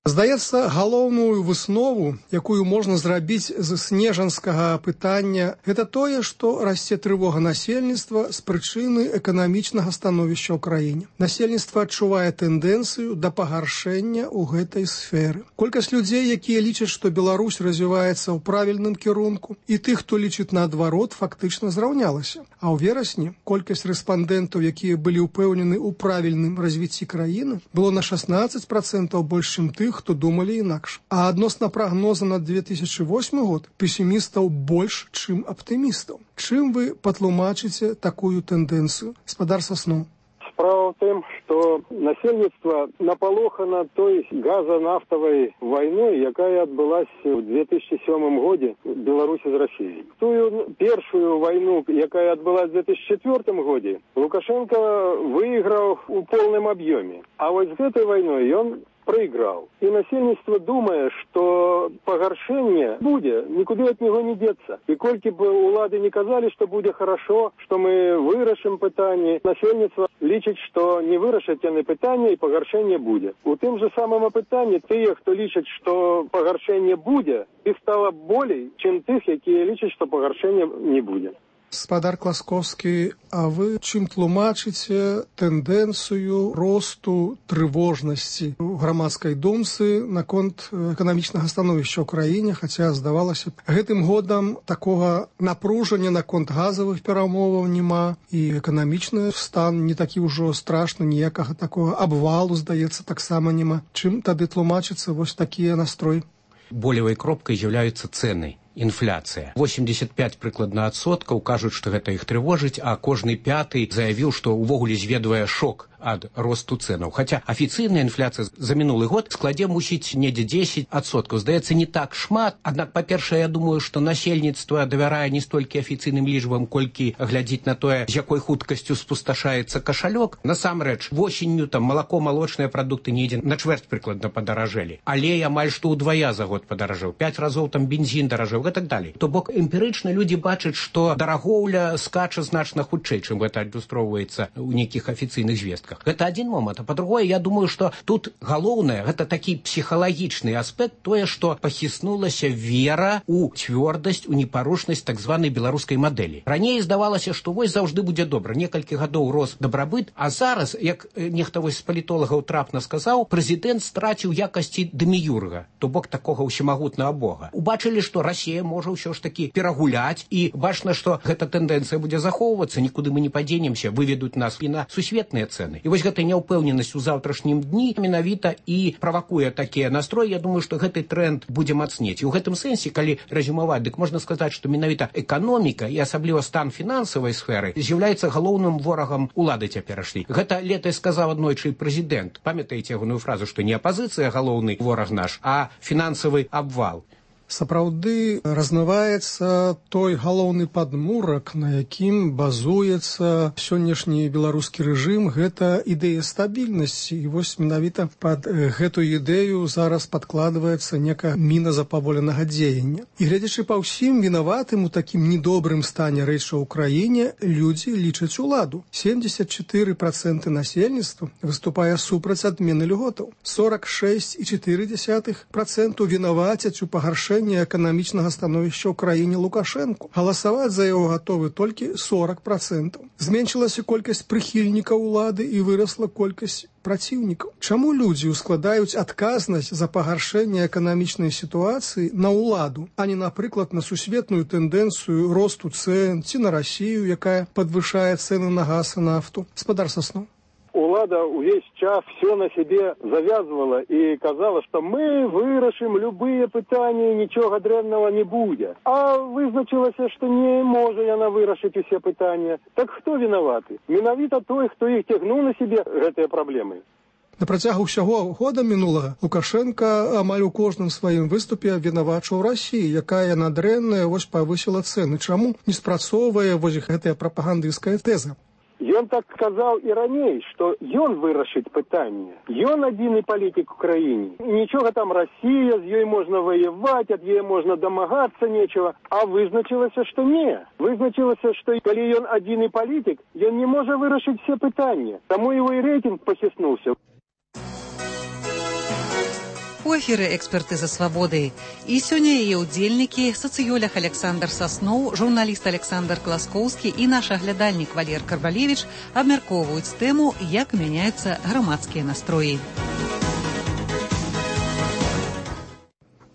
Здаецца, галоўную выснову, якую можна зрабіць з снежанскага пытання, гэта тое, што расце трывога насельніцтва з прычыны эканамічнага становішча ў краіне. Насельніцтва адчувае тэндэнцыю да пагаршэння ў гэтай сферы. Колькасць людзей, якія лічаць, што Беларусь развіваецца ў правільным кірунку, і тых, хто лічыць наадварот, фактычна зраўнялася. А ў верасні колькасць рэспандэнтаў, якія былі ўпэўнены ў правільным развіцці краіны, было на шаснаццаць працэнтаў больш, чым тых, хто думалі інакш. А адносна прагноза на две тысячы восьмы год песімістаў больш, чым аптымістаў. Чым вы патлумачыце такую тэндэнцыю? Гаспадар Сасноў. Справа ў тым, што что насельніцтва напалохана той газа-нафтавай войной, якая отбылась в две тысячи седьмом году в Беларуси с Россией. Ту первую войну, якая отбылась в две тысячи четвёртом году, Лукашенко выиграл в полном объеме. А вот с этой войной он проиграл. И насельніцтва думае, что пагаршэнне будзе, никуда от него не деться. И кольки бы улады не казали, что будет хорошо, что мы вырашим пытание, насельніцтва лічыць, что не вырашаць яны пытание и пагаршэнне будет. У тым же самом пытании тыя, кто лічыць, что пагаршэнне будет, их стало болей, чем тых, якія лічаць, что пагаршэнне не будет. Спадар Класкоўскі, а вы чым тлумачыце тэндэнцыю росту трывожнасці ў грамадскай думцы наконт эканамічнага становішча ў краіне, хаця, здавалася б, гэтым годам такога напружання наконт газавых перамоваў няма, і эканамічны стан не такі ўжо страшны, ніякага такога абвалу, здаецца, таксама няма. Чым тады тлумачыцца вось такія настрой? Болевой кропкай з'яўляюцца цэны. Інфляцыя. восемьдесят пять прыкладна адсоткаў кажуць, што гэта іх трывожыць, а кожны пяты заявіў, што ўвогуле зведвае шок ад росту цэнаў. Хаця афіцыйная інфляцыя за мінулы год складзе мусіць недзе дзесяць адсоткаў. Здаецца, не так шмат. Аднак, па-першае, я думаю, што насельніцтва давярае не столькі афіцыйным лічбам, колькі глядзіць на тое, з якой хуткасцю спусташаецца кашалёк. Насамрэч, восенню там малако, малочныя прадукты недзе на чвэрць прыкладна падаражэлі. Алей амаль што ўдвая за год падаражэў. Пяць разоў там бензін даражэў. И так далее. То бок эмпірычна людзі бачаць, што дарагоўля скача значна хутчэй, чым гэта адлюстроўваецца ў нейкіх афіцыйных звестках. Гэта адзін момант. А па-другое, я думаю, што тут галоўнае, гэта такі псіхалагічны аспект, тое, што пахіснулася вера ў цвёрдасць, у непарушнасць так званай беларускай мадэлі. Раней здавалася, што вось заўжды будзе добра. Некалькі гадоў рос дабрабыт, а зараз, як нехта вось з палітолагаў трапна сказаў, прэзідэнт страціў якасці дэміюрга, то бок такога ўсемагутнага бога. Убачылі, што Расія можа ўсё ж такі перагуляць, і бачна, што гэта тэндэнцыя будзе захоўвацца, нікуды мы не падзенемся, выведуць нас і на сусветныя цэны. І вось гэта няўпэўненасць у заўтрашнім дні менавіта і правакуе такія настроі. Я думаю, што гэты тренд будзе мацнець. І ў гэтым сэнсе, калі рэзюмаваць, дык можна сказаць, што менавіта эканоміка і асабліва стан фінансавай сферы з'яўляецца галоўным ворагам улады цяперашняй. Гэта летась сказаў аднойчы прэзідэнт. Памятаеце ягоную фразу, што не апазіцыя галоўны вораг наш, а фінансавы абвал. Сапраўды размываецца той галоўны падмурак, на якім базуецца сённяшні беларускі рэжым, гэта ідэя стабільнасці. І вось менавіта пад гэтую ідэю зараз падкладваецца некая міна запаволенага дзеяння. І гледзячы па ўсім вінаватым у такім недобрым стане рэчаў у краіне, людзі лічаць уладу. семьдесят четыре процента насельніцтва выступае супраць адмены льготаў. сорок шесть и четыре десятых процента вінавацяць у пагаршэнні эканамічнага становішча ў краіне Лукашэнку. Галасаваць за яго гатовы толькі сорок процентаў. Зменшылася колькасць прыхільнікаў улады і вырасла колькасць праціўнікаў. Чаму людзі ускладаюць адказнасць за пагаршэнне эканамічнай сітуацыі на ўладу, а не, напрыклад, на сусветную тэндэнцыю росту цэн ці на Расію, якая падвышае цэны на газ і нафту? Спадар Сасноў. Улада увесь час все на себе завязывала и казала, что мы вырашим любые пытания, ничего древнего не будет. А вызначилось, что не может она вырашить все пытания. Так кто виноваты? Виновата той, кто их тягнул на себе этой проблемой. На працягу ўсяго года мінулага Лукашенко амаль у кожным сваім выступе абвінавачваў Расію, якая надрэнная вось павысіла цэны. Чаму не спрацоўвае вось гэтая прапагандысцкая тэза? Ён так сказаў і раней, што ён вырашыць пытанне. Ён адзіны палітык у краіне. Нічога там Расія, з ёй можна ваяваць, ад яе можна дамагацца нечага. А вызначылася, што не. Вызначылася, што калі ён адзіны палітык, ён не можа вырашыць все пытанні. Таму его і рэйтынг пахіснуўся. У эфіры «Экспертыза свабоды». І сёння яе ўдзельнікі, сацыёлог Александр Сасноў, журналіст Александр Класкоўскі і наш аглядальнік Валер Карвалевіч абмяркоўваюць тэму, як мяняюцца грамадскія настроі.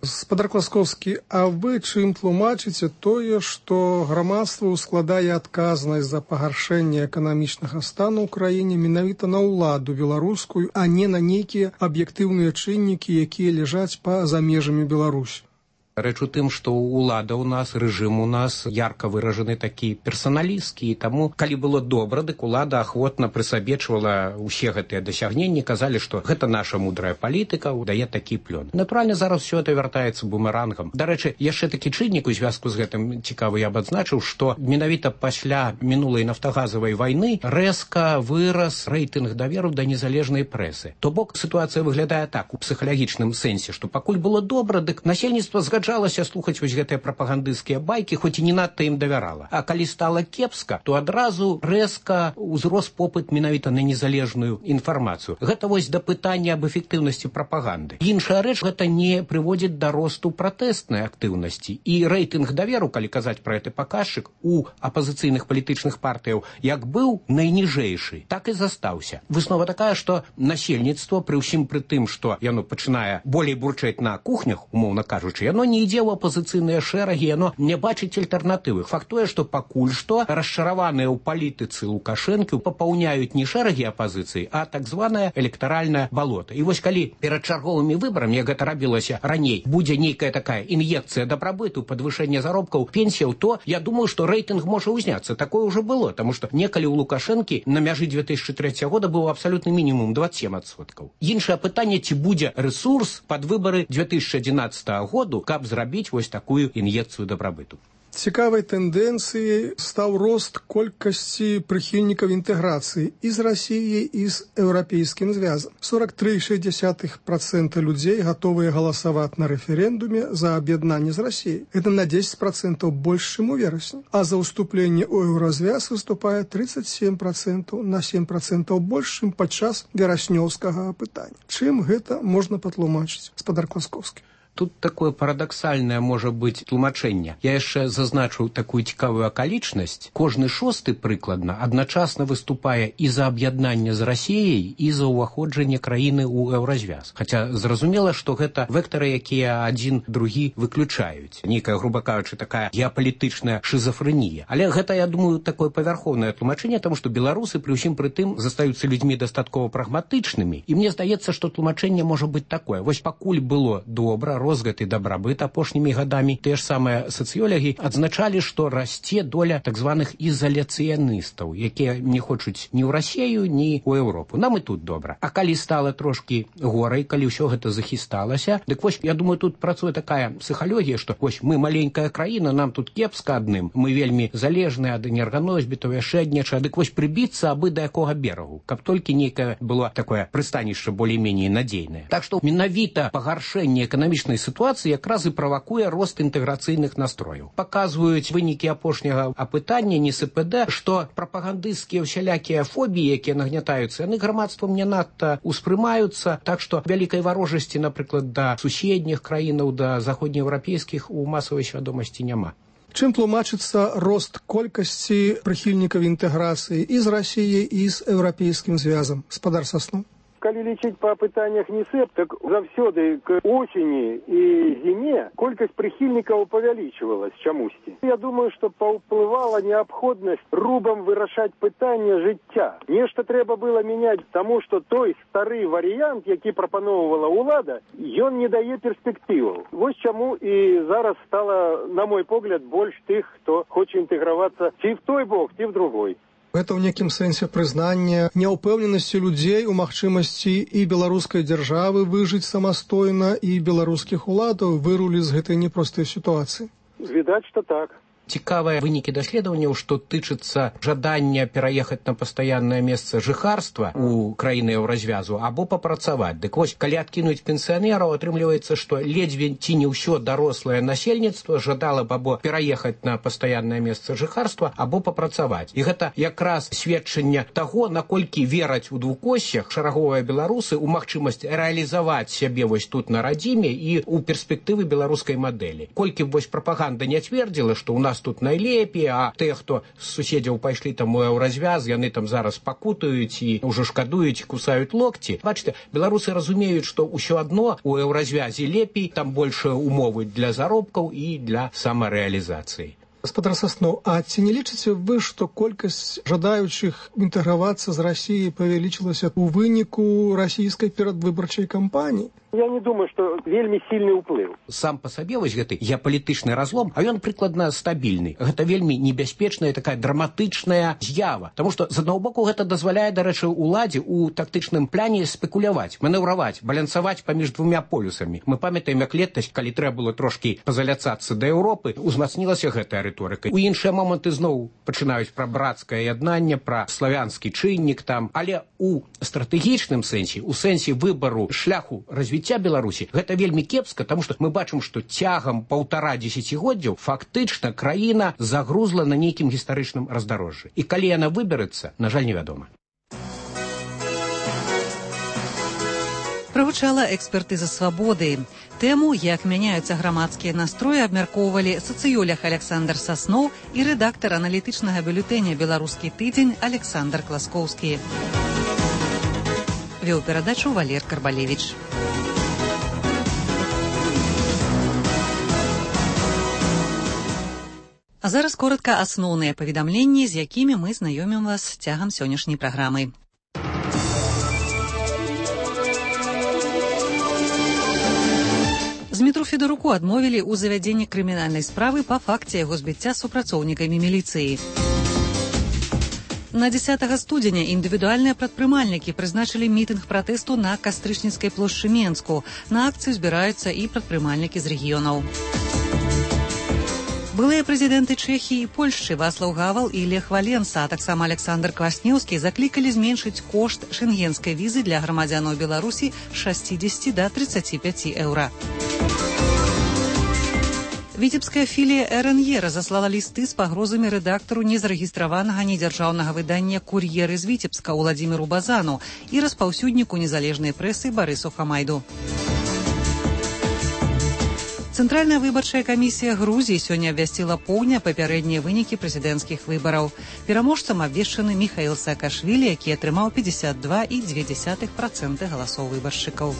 Спадар Класкоўскі, а вы чым тлумачыце тое, што грамадства ускладае адказнасць за пагаршэнне эканамічнага стану ў краіне менавіта на ўладу беларускую, а не на нейкія аб'ектыўныя чыннікі, якія ляжаць па-за межамі Беларусі? Рэч у тым, што ўлада ў нас, рэжым у нас ярка выражаны такі персаналісткі, і таму, калі было добра, дык улада ахвотна прысабечвала ўсе гэтыя дасягненні, казалі, што гэта наша мудрая палітыка, дае такі плён. Натуральна, зараз усё это вяртаецца бумерангам. Дарэчы, яшчэ такі чыннік у звязку з гэтым цікавы я б адзначыў, што менавіта пасля мінулай нафтагазавай вайны рэзка вырас рэйтынг даверу да незалежнай прэсы. То бок сітуацыя выглядае так, у псіхалагічным сэнсе, што пакуль было добра, дык насельніцтва згаджалася Згаджалася слухаць вось гэтыя прапагандысцкія байкі, хоць і не надта ім давярала. А калі стала кепска, то адразу рэзка ўзрос попыт менавіта на незалежную інфармацыю. Гэта вось да пытання аб эфектыўнасці прапаганды. Іншая рэч, гэта не прыводзіць да росту пратэснай актыўнасці. І рэйтынг даверу, калі казаць пра гэты паказчык, у апазіцыйных палітычных партыяў як быў найніжэйшы, так і застаўся. Выснова такая, што насельніцтва, пры ўсім пры тым, што яно пачынае болей бурчаць на кухнях, умоўна кажучы, яно не ідзе ў апазіцыйныя шэрагі, яно не бачыць альтэрнатывы. Факт тое, што пакуль што расчараваныя ў палітыцы Лукашэнкі папаўняюць не шэрагі апазіцыі, а так званае электаральнае балота. І вось калі перад чарговымі выбарамі, як гэта рабілася раней, будзе нейкая такая ін'екцыя дабрабыту, падвышэнне заробкаў, пенсіяў, то я думаю, што рэйтынг можа ўзняцца. Такое ўжо было, таму што некалі ў Лукашэнкі на мяжы две тысячы трэцяга года быў абсалютны мінімум дваццаць сем адсоткаў. Іншае пытанне, ці будзе рэсурс пад выбары две тысячи адзінаццатага году, каб зрабіць вось такую ін'екцыю дабрабыту. Цікавай тэндэнцыяй стаў рост колькасці прыхільнікаў інтэграцыі і з Расіяй, і з еўрапейскім звязам. сорок три цэлых шэсць десятых процента людзей гатовыя галасаваць на рэферэндуме за аб'яднанне з Расіяй. Гэта на дзесяць процентаў больш, чым у верасні. А за ўступленне ў еўразвяз выступае тридцать семь процентов, на семь процентов больш, чым падчас вераснёўскага апытання. Чым гэта можна патлумачыць, гаспадар Класкоўскі? Тут такое парадаксальнае можа быць тлумачэнне. Я яшчэ зазначыў такую цікавую акалічнасць. Кожны шосты прыкладна адначасна выступае і за аб'яднанне з Расіяй, і за ўваходжанне краіны ў еўразвяз. Хаця зразумела, што гэта вектары, якія адзін другі выключаюць. Нейкая, груба кажучы, такая геапалітычная шызафрэнія. Але гэта, я думаю, такое павярхоўнае тлумачэнне, таму што беларусы пры ўсім пры тым застаюцца людзьмі дастаткова прагматычнымі. І мне здаецца, што тлумачэнне можа быць такое. Вось пакуль было добра, розгат і дабрабыт апошнімі гадамі, тыя ж самыя сацыёлагі адзначалі, што расце доля так званых ізаляцыяністаў, якія не хочуць ні ў Расію, ні ў Еўропу. Нам і тут добра. А калі стала трошкі горай, калі ўсё гэта захісталася, дык вось, я думаю, тут працуе такая псіхалогія, што вось мы маленькая краіна, нам тут кепска адным, мы вельмі залежныя ад энерганосьбітаў, яшчэ ад нечага, дык вось прыбіцца абы да якога берагу, каб толькі нейкае было такое прыстанішча болей-меней надзейнае. Так што менавіта пагаршэнне эканамічнай сітуацыі якраз і правакуе рост інтэграцыйных настрояў. Паказваюць вынікі апошняга апытання эн эс пэ дэ, што прапагандысцкія ўсялякія фобіі, якія нагнятаюцца, яны грамадствам не надта успрымаюцца, так што вялікай варожасці, напрыклад, да суседніх краінаў, да заходнееўрапейскіх у масавай свядомасці няма. Чым тлумачыцца рост колькасці прыхільнікаў інтэграцыі і з Расіяй, і з еўрапейскім звязам? Гаспадар Саснов. Калі лічыць па пытаннях НИСЭП, так заўсёды к осені і зіме колькасць прыхільнікаў павялічвалась чамусьці. Я думаю, што паўплывала неабходнасць рубам вырашаць пытанне жыцця. Нешта трэба было мяняць, таму што той стары варыянт, які прапаноўвала ўлада, ён не дае перспектываў. Вось чаму і зараз стала, на мой погляд, больш тых, хто хоча інтэгравацца ці в той бок, ці в другой. Гэта ў некім сэнсе прызнанне няўпэўненасці людзей у магчымасці і беларускай дзяржавы выжыць самастойна, і беларускіх уладаў вырулі з гэтай непростай сітуацыі. Відаць, што так. Цікавыя вынікі даследаванняў, што тычыцца жадання пераехаць на пастаяннае месца жыхарства ў краіны еўразвязу або папрацаваць. Дык вось, калі адкінуць пенсіянераў, атрымліваецца, што ледзьве ці не ўсё дарослае насельніцтва жадала б або пераехаць на пастаяннае месца жыхарства, або папрацаваць. І гэта якраз сведчанне таго, наколькі вераць у двукоссях шараговыя беларусы ў магчымасць рэалізаваць сябе вось тут на радзіме і ў перспектывы беларускай мадэлі. Колькі б вось прапаганда не цвердзіла, што ў нас тут найлепей, а тыя, хто з суседзяў пайшлі там у еўразвяз, яны там зараз пакутаюць і ўжо шкадуюць, кусаюць локці. Бачыце, беларусы разумеюць, што ўсё адно у еўразвязе лепей, там большыя умовы для заробкаў і для самарэалізацыі. Гаспадар Саснов, а ці не лічыце вы, што колькасць жадаючых інтэгравацца з Расіяй павялічылася ў выніку расійскай перадвыбарчай кампаніі? Я не думаю, што вельмі сильны ўплыў. Сам па сабе вось гэты геапалітычны разлом, а ён прыкладна стабільны. Гэта вельмі небяспечная такая драматычная з'ява. Таму што з аднаго боку гэта дазваляе, дарэчы, уладзе у тактычным пляне спекуляваць, манеўраваць, балянсаваць паміж двумя полюсамі. Мы памятаем, як летась, калі трэба было трошкі пазаляцацца да Еўропы, узмацнілася гэтая рыторыка. У іншыя моманты зноў пачынаюць пра брацкае яднанне, пра славянскі чыннік там, але у стратэгічным сэнсе, у сэнсе выбару шляху развіцця Беларусі, гэта вельмі кепска, таму што мы бачым, што цягам паўтара дзесяцігоддзяў фактычна краіна загрузла на нейкім гістарычным раздарожжы. І калі яна выберэцца, на жаль, невядома. Прагучала экспертыза свабоды. Тэму, як мяняюцца грамадскія настроі, абмяркоўвалі сацыёлог Александр Саснов і рэдактар аналітычнага бюлетэня «Беларускі тыдзень» Александр Класкоўскі. Вёў перадачу Валер Карбалевіч. А зараз коротка асноўныя паведамленні, з якімі мы знаёмім вас цягам сённяшняй праграмы. Змітру Федаруку адмовілі ў завядзенні крымінальнай справы па факце яго збіцця супрацоўнікамі міліцыі. На дзесятага студзеня індывідуальныя прадпрымальнікі прызначылі мітынг пратэсту на Кастрычніцкай плошчы Менску. На акцыю збіраюцца і прадпрымальнікі з рэгіёнаў. Былыя прэзідэнты Чэхіі і Польшчы Вацлаў Гавал і Лех Валенса, а таксама Александр Кваснеўскі заклікалі зменшыць кошт шэнгенскай візы для грамадзянаў Беларусі з шасцідзесяці да трыццаці пяці еўра. Віцебская філія эр эн е разаслала лісты з пагрозамі рэдактару незарэгістраванага недзяржаўнага выдання «Кур'ер» з Віцебска Уладзіміру Базану і распаўсюдніку незалежнай прэсы Барысу Хамайду. Цэнтральная выбарчая камісія Грузіі сёння абвясціла поўня папярэднія вынікі прэзідэнцкіх выбараў. Пераможцам абвешчаны Міхаіл Саакашвілі, які атрымаў пятьдесят два і две десятых процента галасоў выбаршчыкаў.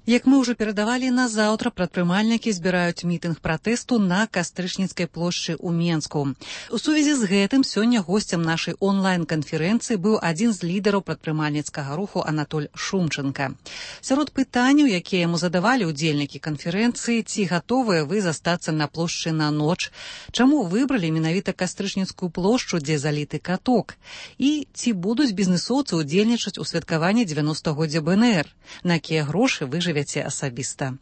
Як мы ўжо перадавалі, назаўтра прадпрымальнікі збіраюць мітынг пратэсту на Кастрычніцкай плошчы ў Менску. У сувязі з гэтым сёння госцем нашай онлайн-канферэнцыі быў адзін з лідараў прадпрымальніцкага руху Анатоль Шумченка. Сярод пытанняў, якія яму задавалі ўдзельнікі канферэнцыі, ці гатовыя вы застацца на плошчы на ноч, чаму выбралі менавіта Кастрычніцкую плошчу, дзе заліты каток, і ці будуць бізнесоўцы ўдзельнічаць у святкаванні дзевяностагоддзя бэ эн эр, на якія грошы вы жывяце асабіста.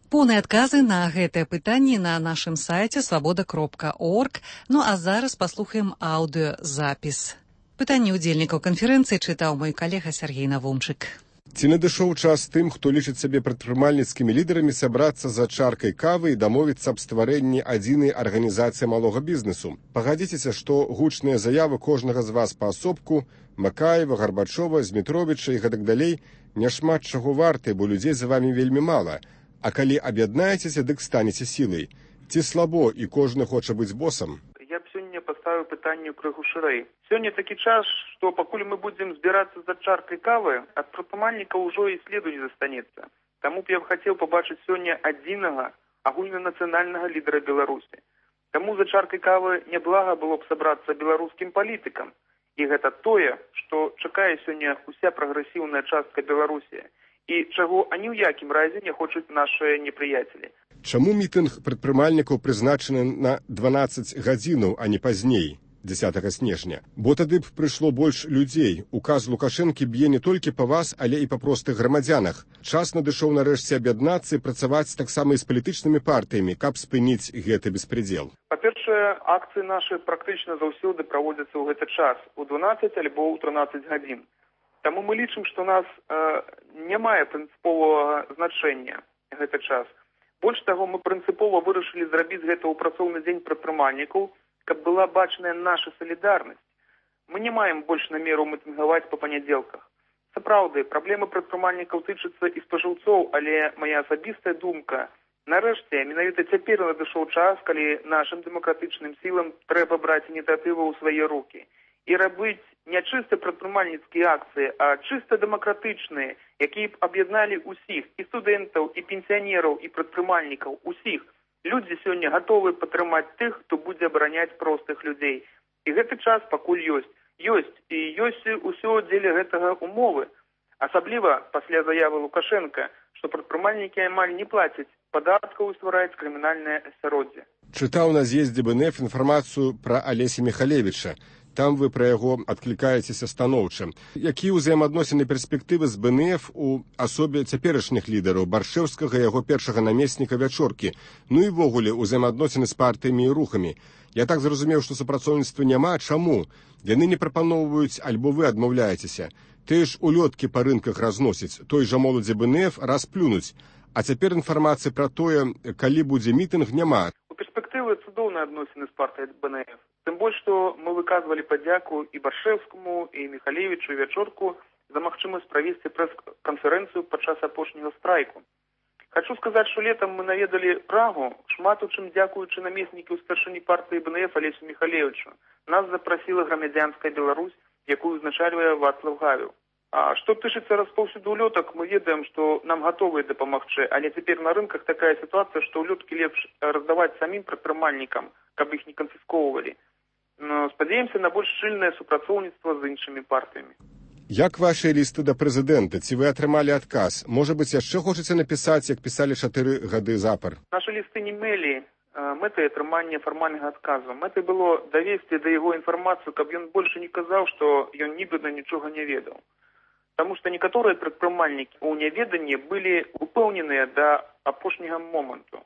Поўныя адказы на гэтыя пытанні на нашым сайце свабода кропка орг, ну а зараз паслухаем аўдыёзапіс. Пытанні ўдзельнікаў канферэнцыі чытаў мой калега Сергей Навумчык. Ці надышоў час тым, хто лічыць сябе прадпрымальніцкімі лідарамі, сабрацца за чаркай кавы і дамовіцца аб стварэнні адзінай арганізацыі малога бізнесу? Пагадзіцеся, што гучныя заявы кожнага з вас паасобку, Макаева, Гарбачова, Змітровіча і гэтак далей, няшмат чаго варты, бо людзей за вамі вельмі мала. А калі аб'яднаецеся, дык станеце сілай. Ці слабо і кожны хоча быць босам? Я б сёння паставіў пытанне крыху шырэй. Сёння такі час, што пакуль мы будзем збірацца за чаркай кавы, ад прадпрымальніка ўжо і следу не застанецца. Таму б я б хацеў пабачыць сёння адзінага агульнанацыянальнага лідара Беларусі. Таму за чаркай кавы няблага было б сабрацца беларускім палітыкам. І гэта тое, што чакае сёння уся прагрэсіўная частка Беларусі і чаго ані ў якім разе не хочуць нашыя непрыяцелі. Чаму мітынг прадпрымальнікаў прызначаны на дванаццаць гадзінаў, а не пазней, дзесятага снежня? Бо тады б прыйшло больш людзей. Указ Лукашэнкі б'е не толькі па вас, але і па простых грамадзянах. Час надышоў нарэшце аб'яднацца і працаваць таксама і з палітычнымі партыямі, каб спыніць гэты беспредзел. Па-першае, акцыі нашы практычна заўсёды праводзяцца ў гэты час, у дванаццаць альбо ў трынаццаць гадзін. Таму мы лічым, што нас э, не мае прынцыповага значэння гэты час. Больш таго, мы прынцыпова вырашылі зрабіць гэта ў працоўны дзень прадпрымальнікаў, каб была бачная наша салідарнасць. Мы не маем больш намеру мітынгаваць па панядзелках. Сапраўды, праблемы прадпрымальнікаў тычацца і спажыўцоў, але моя асабістая думка, нарэшце, менавіта цяпер надышоў час, калі нашым дэмакратычным сілам трэба браць ініцыятыву ў свае рукі і рабіць не чыста прадпрымальніцкія акцыі, а чыста дэмакратычныя, якія б аб'ядналі ўсіх, і студэнтаў, і пенсіянераў, і прадпрымальнікаў, усіх. Людзі сёння гатовы падтрымаць тых, хто будзе абараняць простых людзей. І гэты час пакуль ёсць. Ёсць, і ёсць усё дзеля гэтага умовы. Асабліва пасля заявы Лукашенка, што прадпрымальнікі амаль не плацяць падаткаў і ствараюць крымінальнае асяроддзе. Чытаў на з'ездзе бэ эн эф інфармацыю пра Алеся Михалевіча. Там вы пра яго адклікаецеся станоўча. Якія ўзаемаадносіны перспектывы з бэ эн эф у асобе цяперашніх лідараў Баршэўскага, яго першага намесніка Вячоркі, ну і ввогуле ўзаемаадносіны з партыямі і рухамі. Я так зразумеў, што супрацоўніцтва няма. Чаму? Яны не прапаноўваюць, альбо вы адмаўляецеся. Тыя ж улёткі па рынках разносяць, той жа моладзі бэ эн эф раз плюнуць. А цяпер інфармацыі пра тое, калі будзе мітынг, няма. У перспектывы цудоўныя адносіны з партыяй бэ эн эф. Тым больш, што мы выказвалі падзяку і Баршэўскаму, і Михалевічу, і Вячорку за магчымасць правесці прэс-канферэнцыю падчас апошняга страйку. Хачу сказаць, што летам мы наведалі Прагу, шмат у чым дзякуючы намесніку старшыні партыі бэ эн эф Алесю Михалевічу. Нас запрасіла грамадзянская Беларусь, якую узначальвае Вацлав Гавел. А што тычыцца распаўсюду ўлётак, мы ведаем, што нам гатовыя дапамагчы, але цяпер на рынках такая сітуацыя, што ўлёткі лепш раздаваць самім прадпрымальнікам, каб іх не канфісковывалі. Но спадзяемся на больш шчыльнае супрацоўніцтва з іншымі партыямі. Як вашыя лісты да прэзідэнта? Ці вы атрымалі адказ? Можа быць, яшчэ хочаце напісаць, як пісалі чатыры гады запар? Нашы лісты не мелі мэтай атрымання фармальнага адказу. Мэтай было давесці да яго інфармацыю, каб ён больш не казаў, што ён нібыта нічога не ведаў. Таму што некаторыя прадпрымальнікі ў няведанні былі упэўненыя да апошняга моманту.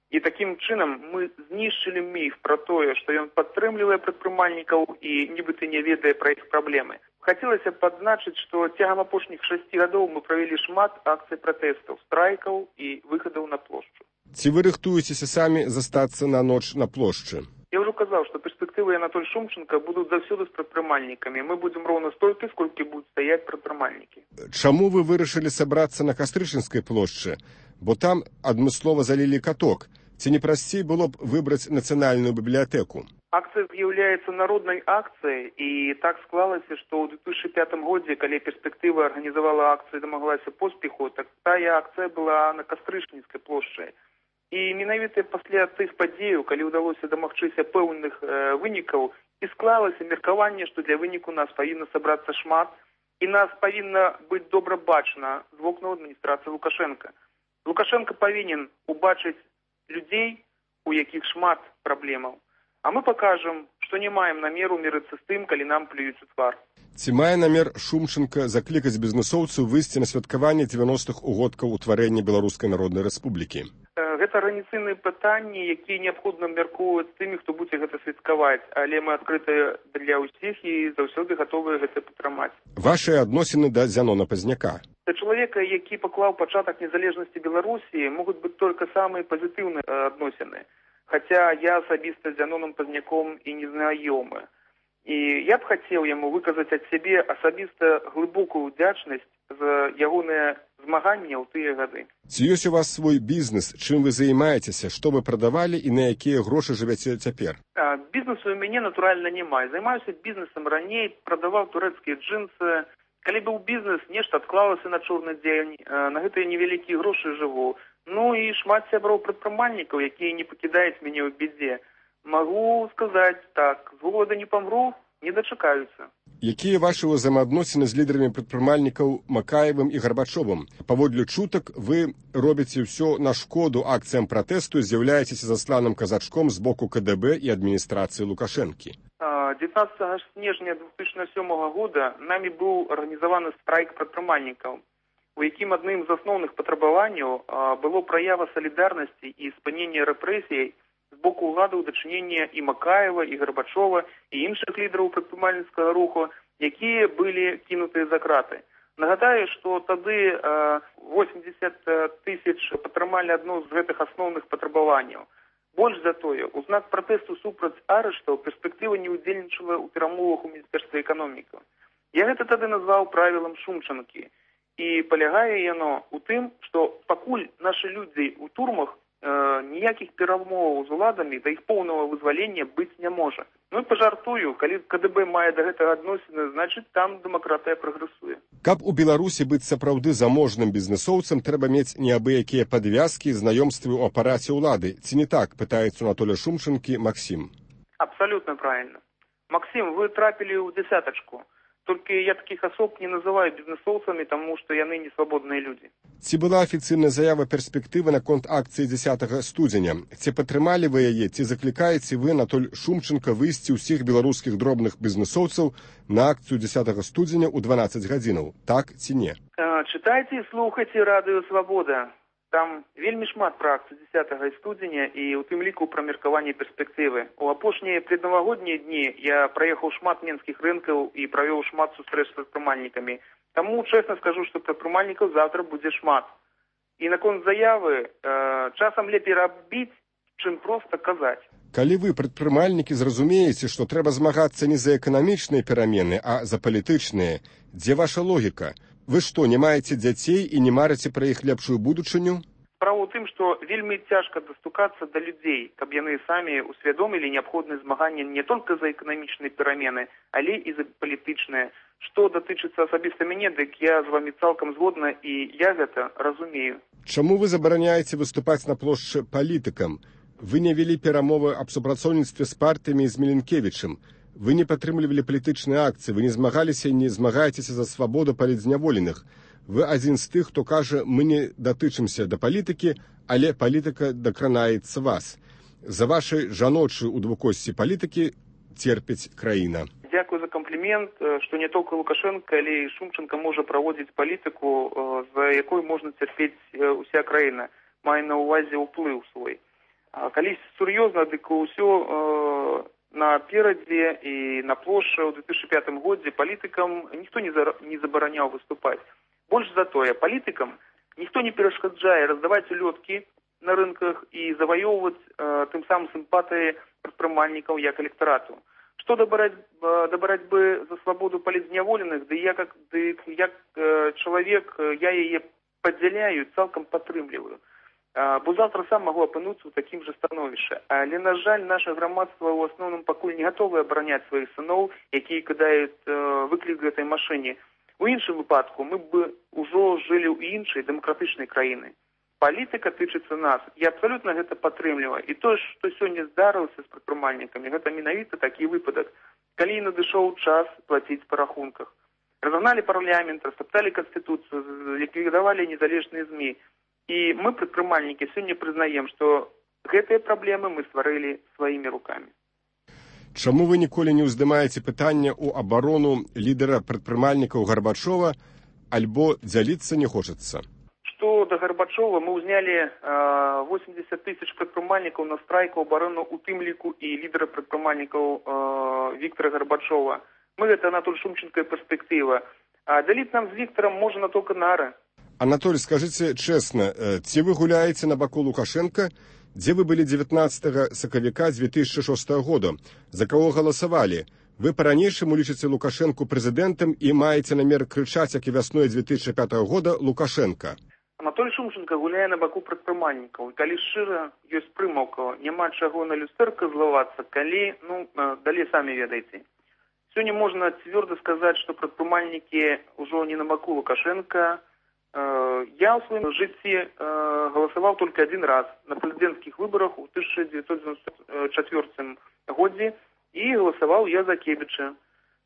І такім чынам мы знішчылі міф пра тое, што ён падтрымлівае прадпрымальнікаў і нібыта не ведае пра іх праблемы. Хацелася б адзначыць, што цягам апошніх шасці гадоў мы правялі шмат акцый пратэстаў, страйкаў і выхадаў на плошчу. Ці вы рыхтуецеся самі застацца на ноч на плошчы? Я ўжо казаў, што перспектывы Анатоль Шумченко будуць заўсёды з прадпрымальнікамі. Мы будзем роўна столькі, сколькі будуць стаяць прадпрымальнікі. Чаму вы вырашылі сабрацца на Кастрычынскай плошчы? Бо там адмыслова залілі каток. Ці не прасцей было б выбраць нацыянальную бібліятэку? Акцыя з'яўляецца народнай акцыяй, і так склалася, што ў две тысячы пятым годзе, калі перспектыва арганізавала акцыю і дамаглася поспеху, так тая акцыя была на Кастрычніцкай плошчы. І менавіта пасля тых падзеяў, калі ўдалося дамагчыся пэўных э, вынікаў, і склалася меркаванне, што для выніку нас павінна сабрацца шмат, і нас павінна быць добра бачна з вокнаў адміністрацыі Лукашенка. Лукашенко павінен убачыць людзей, у якіх шмат праблемаў. А мы пакажам, што не маем намеру мірыцца з тым, калі нам плююць у твар. Ці мае намер Шумченко заклікаць бізнэсоўцаў выйсці на святкаванне дзевяностых угодкаў утварэння Беларускай Народнай Рэспублікі? Гэта арганіцыйныя пытанні, якія неабходна абмяркоўваць тымі, хто будзе гэта святкаваць, але мы адкрытыя для ўсіх і заўсёды гатовыя гэта падтрымаць. Вашыя адносіны да Зянона Пазняка? Для чалавека, які паклаў пачатак незалежнасці Беларусі, могуць быць толькі самыя пазітыўныя адносіны. Хаця я асабіста з Зяноном Пазняком і не знаёмы. І я б хацеў яму выказаць ад сябе асабіста глыбокую ўдзячнасць за ягонае змаганне ў тыя гады. Ці ёсць у вас свой бізнес, чым вы займаецеся, што вы прадавалі і на якія грошы жывяце цяпер? А, бізнесу ў мяне, натуральна, няма. Займаюся бізнесам раней, прадаваў турэцкія джинсы. Калі быў бізнес, нешта адклалася на чорны дзень, на гэтыя невялікія грошы жыву. Ну і шмат сяброў прадпрымальнікаў, якія не пакідаюць мяне ў бядзе. Магу сказаць так, з голода не памру, не дачакаюцца. Якія вашы ўзаемаадносіны з лідарамі прадпрымальнікаў Макаевым і Гарбачовым? Паводле чутак, вы робіце ўсё на шкоду акцыям пратэсту і з'яўляецеся засланым казачком з боку ка дэ бэ і адміністрацыі Лукашэнкі. дзевятнадцатага снежня две тысячи сёмага года намі быў арганізаваны страйк прадпрымальнікаў, у якім адным з асноўных патрабаванняў было праява салідарнасці і спынення рэпрэсій з боку ўлады ў дачынення і Макаева, і Гарбачова, і іншых лідараў прадпрымальніцкага руху, якія былі кінутыя за краты. Нагадаю, што тады восемьдесят тысяч падтрымалі адно з гэтых асноўных патрабаванняў. Больш за тое, у знак пратэсту супраць арыштаў перспектыва не ўдзельнічала ў перамовах у міністэрстве эканомікі. Я гэта тады назваў правілам Шумчанкі. І палягае яно ў тым, што пакуль нашы людзі ў турмах ніякіх перамоваў з уладамі да іх поўнага вызвалення быць не можа. Ну і пажартую, калі ка дэ бэ мае да гэтага адносіны, значыць там дэмакратыя прагрэсуе. Каб у Беларусі быць сапраўды заможным бізнэсоўцам, трэба мець неабыякія падвязкі, знаёмствы ў апараце ўлады. Ці не так, пытаецца Анатоля Шумченкі Максім. Абсалютна правільна. Максім, вы трапілі ў дзясятачку. Только я таких особ не называю бизнесовцами, потому что яны не свободные люди. Ці была афіцыйная заява перспектывы наконт акцыі дзесятага студзеня? Ці падтрымалі вы яе, ці заклікаеце вы Анатоль Шумченко выйсці ўсіх беларускіх дробных бізнесоўцаў на акцыю дзесятага студзеня ў дванаццаць гадзінаў? Так ці не? Чытайце і слухайце радыё «Свабода». Там вельмі шмат пра акцыю дзесятага студзеня і ў тым ліку пра меркаванне перспектывы. У апошнія преднавагоднія дні я праехаў шмат менскіх рынкаў і правёў шмат сустрэч з прадпрымальнікамі. Таму чэсна скажу, што прадпрымальнікаў завтра будзе шмат. І наконт заявы, э, часам лепей рабіць, чым проста казаць. Калі вы, прадпрымальнікі, зразумееце, што трэба змагацца не за эканамічныя перамены, а за палітычныя, дзе ваша логіка? Вы што, не маеце дзяцей і не марыце пра іх лепшую будучыню? Справа ў тым, што вельмі цяжка дастукацца да людзей, каб яны самі усвядомілі неабходнасць змагання не толькі за эканамічныя перамены, але і за палітычныя. Што датычыцца асабіста мяне, дык я з вамі цалкам згодна, і я гэта разумею. Чаму вы забараняеце выступаць на плошчы палітыкам? Вы не вялі перамовы аб супрацоўніцтве з партыямі і з Міленкевічам. Вы не падтрымлівалі палітычныя акцыі, вы не змагаліся і не змагаецеся за свабоду палітзняволеных. Вы адзін з тых, хто кажа, мы не датычымся да палітыкі, але палітыка дакранаецца вас. За вашай жаночай у двукосці палітыкі церпіць краіна. Дзякую за комплімент, што не толькі Лукашенко, але і Шумченко можа праводзіць палітыку, за якой можна церпець уся краіна, мае на ўвазе ўплыў свой. Калі сур'ёзна, дык усё наперадзе і на плошчы ў две тысячы пятым годзе палітыкам ніхто не забараняў выступаць. Больш за тое, палітыкам ніхто не перашкаджае раздаваць улёткі на рынках і заваёўваць э, тым самым сімпатыі прадпрымальнікаў як электарату. Што да барацьбы за свабоду палітзняволеных, ды я как, ды, як э, чалавек, я яе падзяляю, цалкам падтрымліваю. Бо завтра сам могу апынуцца ў такім жа становішчы. Але, на жаль, наше грамадства ў асноўным пакуль не гатовы абараняць сваіх сыноў, якія кідаюць э, выклік гэтай машыне. У іншым выпадку мы б ужо жылі ў іншай дэмакратычнай краіны. Палітыка тычыцца нас. Я абсалютна гэта падтрымліваю. І тое, што сёння здарылася з прадпрымальнікамі, гэта менавіта такі выпадак, калі надышоў час плаціць па рахунках. Разагналі парламент, растопталі канстытуцыю, ліквідавалі незалежныя ЗМІ. І мы, прадпрымальнікі, сёння прызнаем, што гэтыя праблемы мы стварылі сваімі рукамі. Чаму вы ніколі не ўздымаеце пытання ў абарону лідара прадпрымальнікаў Гарбачова, альбо дзяліцца не хочацца? Што да Гарбачова, мы ўзнялі восемьдесят тысяч прадпрымальнікаў на страйку абарону у тым ліку і лідара прадпрымальнікаў Віктора Гарбачова. Мы гэта Анатоль Шумченко перспектыва. А дзяліць нам з Віктарам можна толькі нары. Анатоль, скажыце чэсна, ці вы гуляеце на баку Лукашенко, дзе вы былі дзевятнаццатага сакавіка две тысячи шостага года? За каго галасавалі? Вы па-ранейшаму лічыце Лукашенко прэзідэнтам і маеце намер крычаць, як і вясной две тысячи пятага года, Лукашенко. Анатоль Шумченко гуляе на баку прадпрымальнікаў. І калі шчыра, ёсць прымаўка, няма чаго на люстэрка злавацца, калі, ну, далей самі ведаеце. Сёння можна цвёрда сказаць, што прадпрымальнікі ўжо не на баку Лукашенко. Я ў сваім жыцці галасаваў толькі адзін раз на прэзідэнцкіх выбарах у тысяча дзевяцьсот дзевяносто чацвёртым годзе і галасаваў я за Кебіча.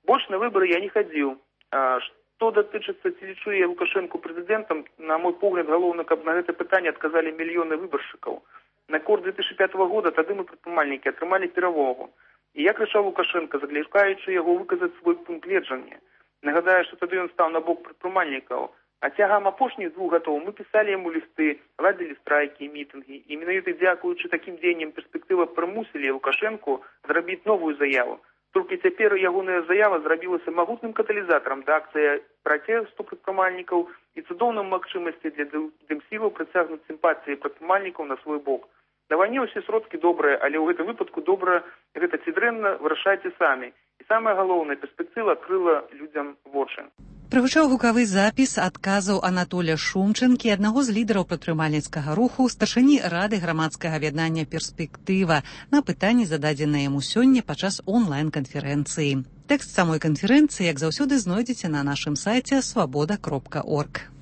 Больш на выбары я не хадзіў. Што датычыцца, ці лічу я Лукашенко прэзідэнтам, на мой погляд, галоўна, каб на гэта пытанне адказалі мільёны выбаршчыкаў. На кор две тысячи пятого года тады мы прадпрымальнікі атрымалі перавагу. І я крычаў Лукашенко, заклікаючы яго выказаць свой пункт гледжання. Нагадаю, што тады ён стаў на бок прадпрымальнікаў. А цягам апошніх двух гадоў мы пісалі яму лісты, ладзілі страйкі, мітынгі. І менавіта дзякуючы такім дзеянням перспектыва прымусілі Лукашенку зрабіць новую заяву. Толькі цяпер ягоная заява зрабілася магутным каталізатарам да акцыі пратэсту прадпрымальнікаў і цудоўным магчымасці для дэмсілаў прыцягнуць сімпатыі прадпрымальнікаў на свой бок. На вайне ўсе сродкі добрыя, але ў гэтым выпадку добра гэта ці дрэнна вырашайце самі. І самая галоўная перспектыва адкрыла людзям вочы. Прагучаў гукавы запіс адказаў Анатоля Шумченкі, аднаго з лідараў прадпрымальніцкага руху, старшыні Рады грамадскага аб'яднання «Перспектыва», на пытанні, зададзеныя яму сёння падчас онлайн-канферэнцыі. Тэкст самой канферэнцыі, як заўсёды, знойдзеце на нашым сайце свабода кропка орг.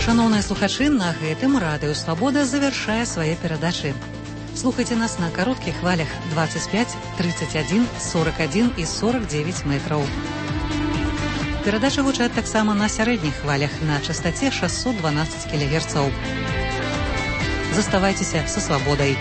Шаноўныя слухачы, на гэтым радыё «Свабода» завяршае свае перадачы. Слухайте нас на коротких хвалях двадцать пять, тридцать один, сорок один и сорок девять метров. Перадача гучаць таксама на сярэдніх хвалях на частоте шестьсот двенадцать килогерцаў. Заставайтеся со свободой.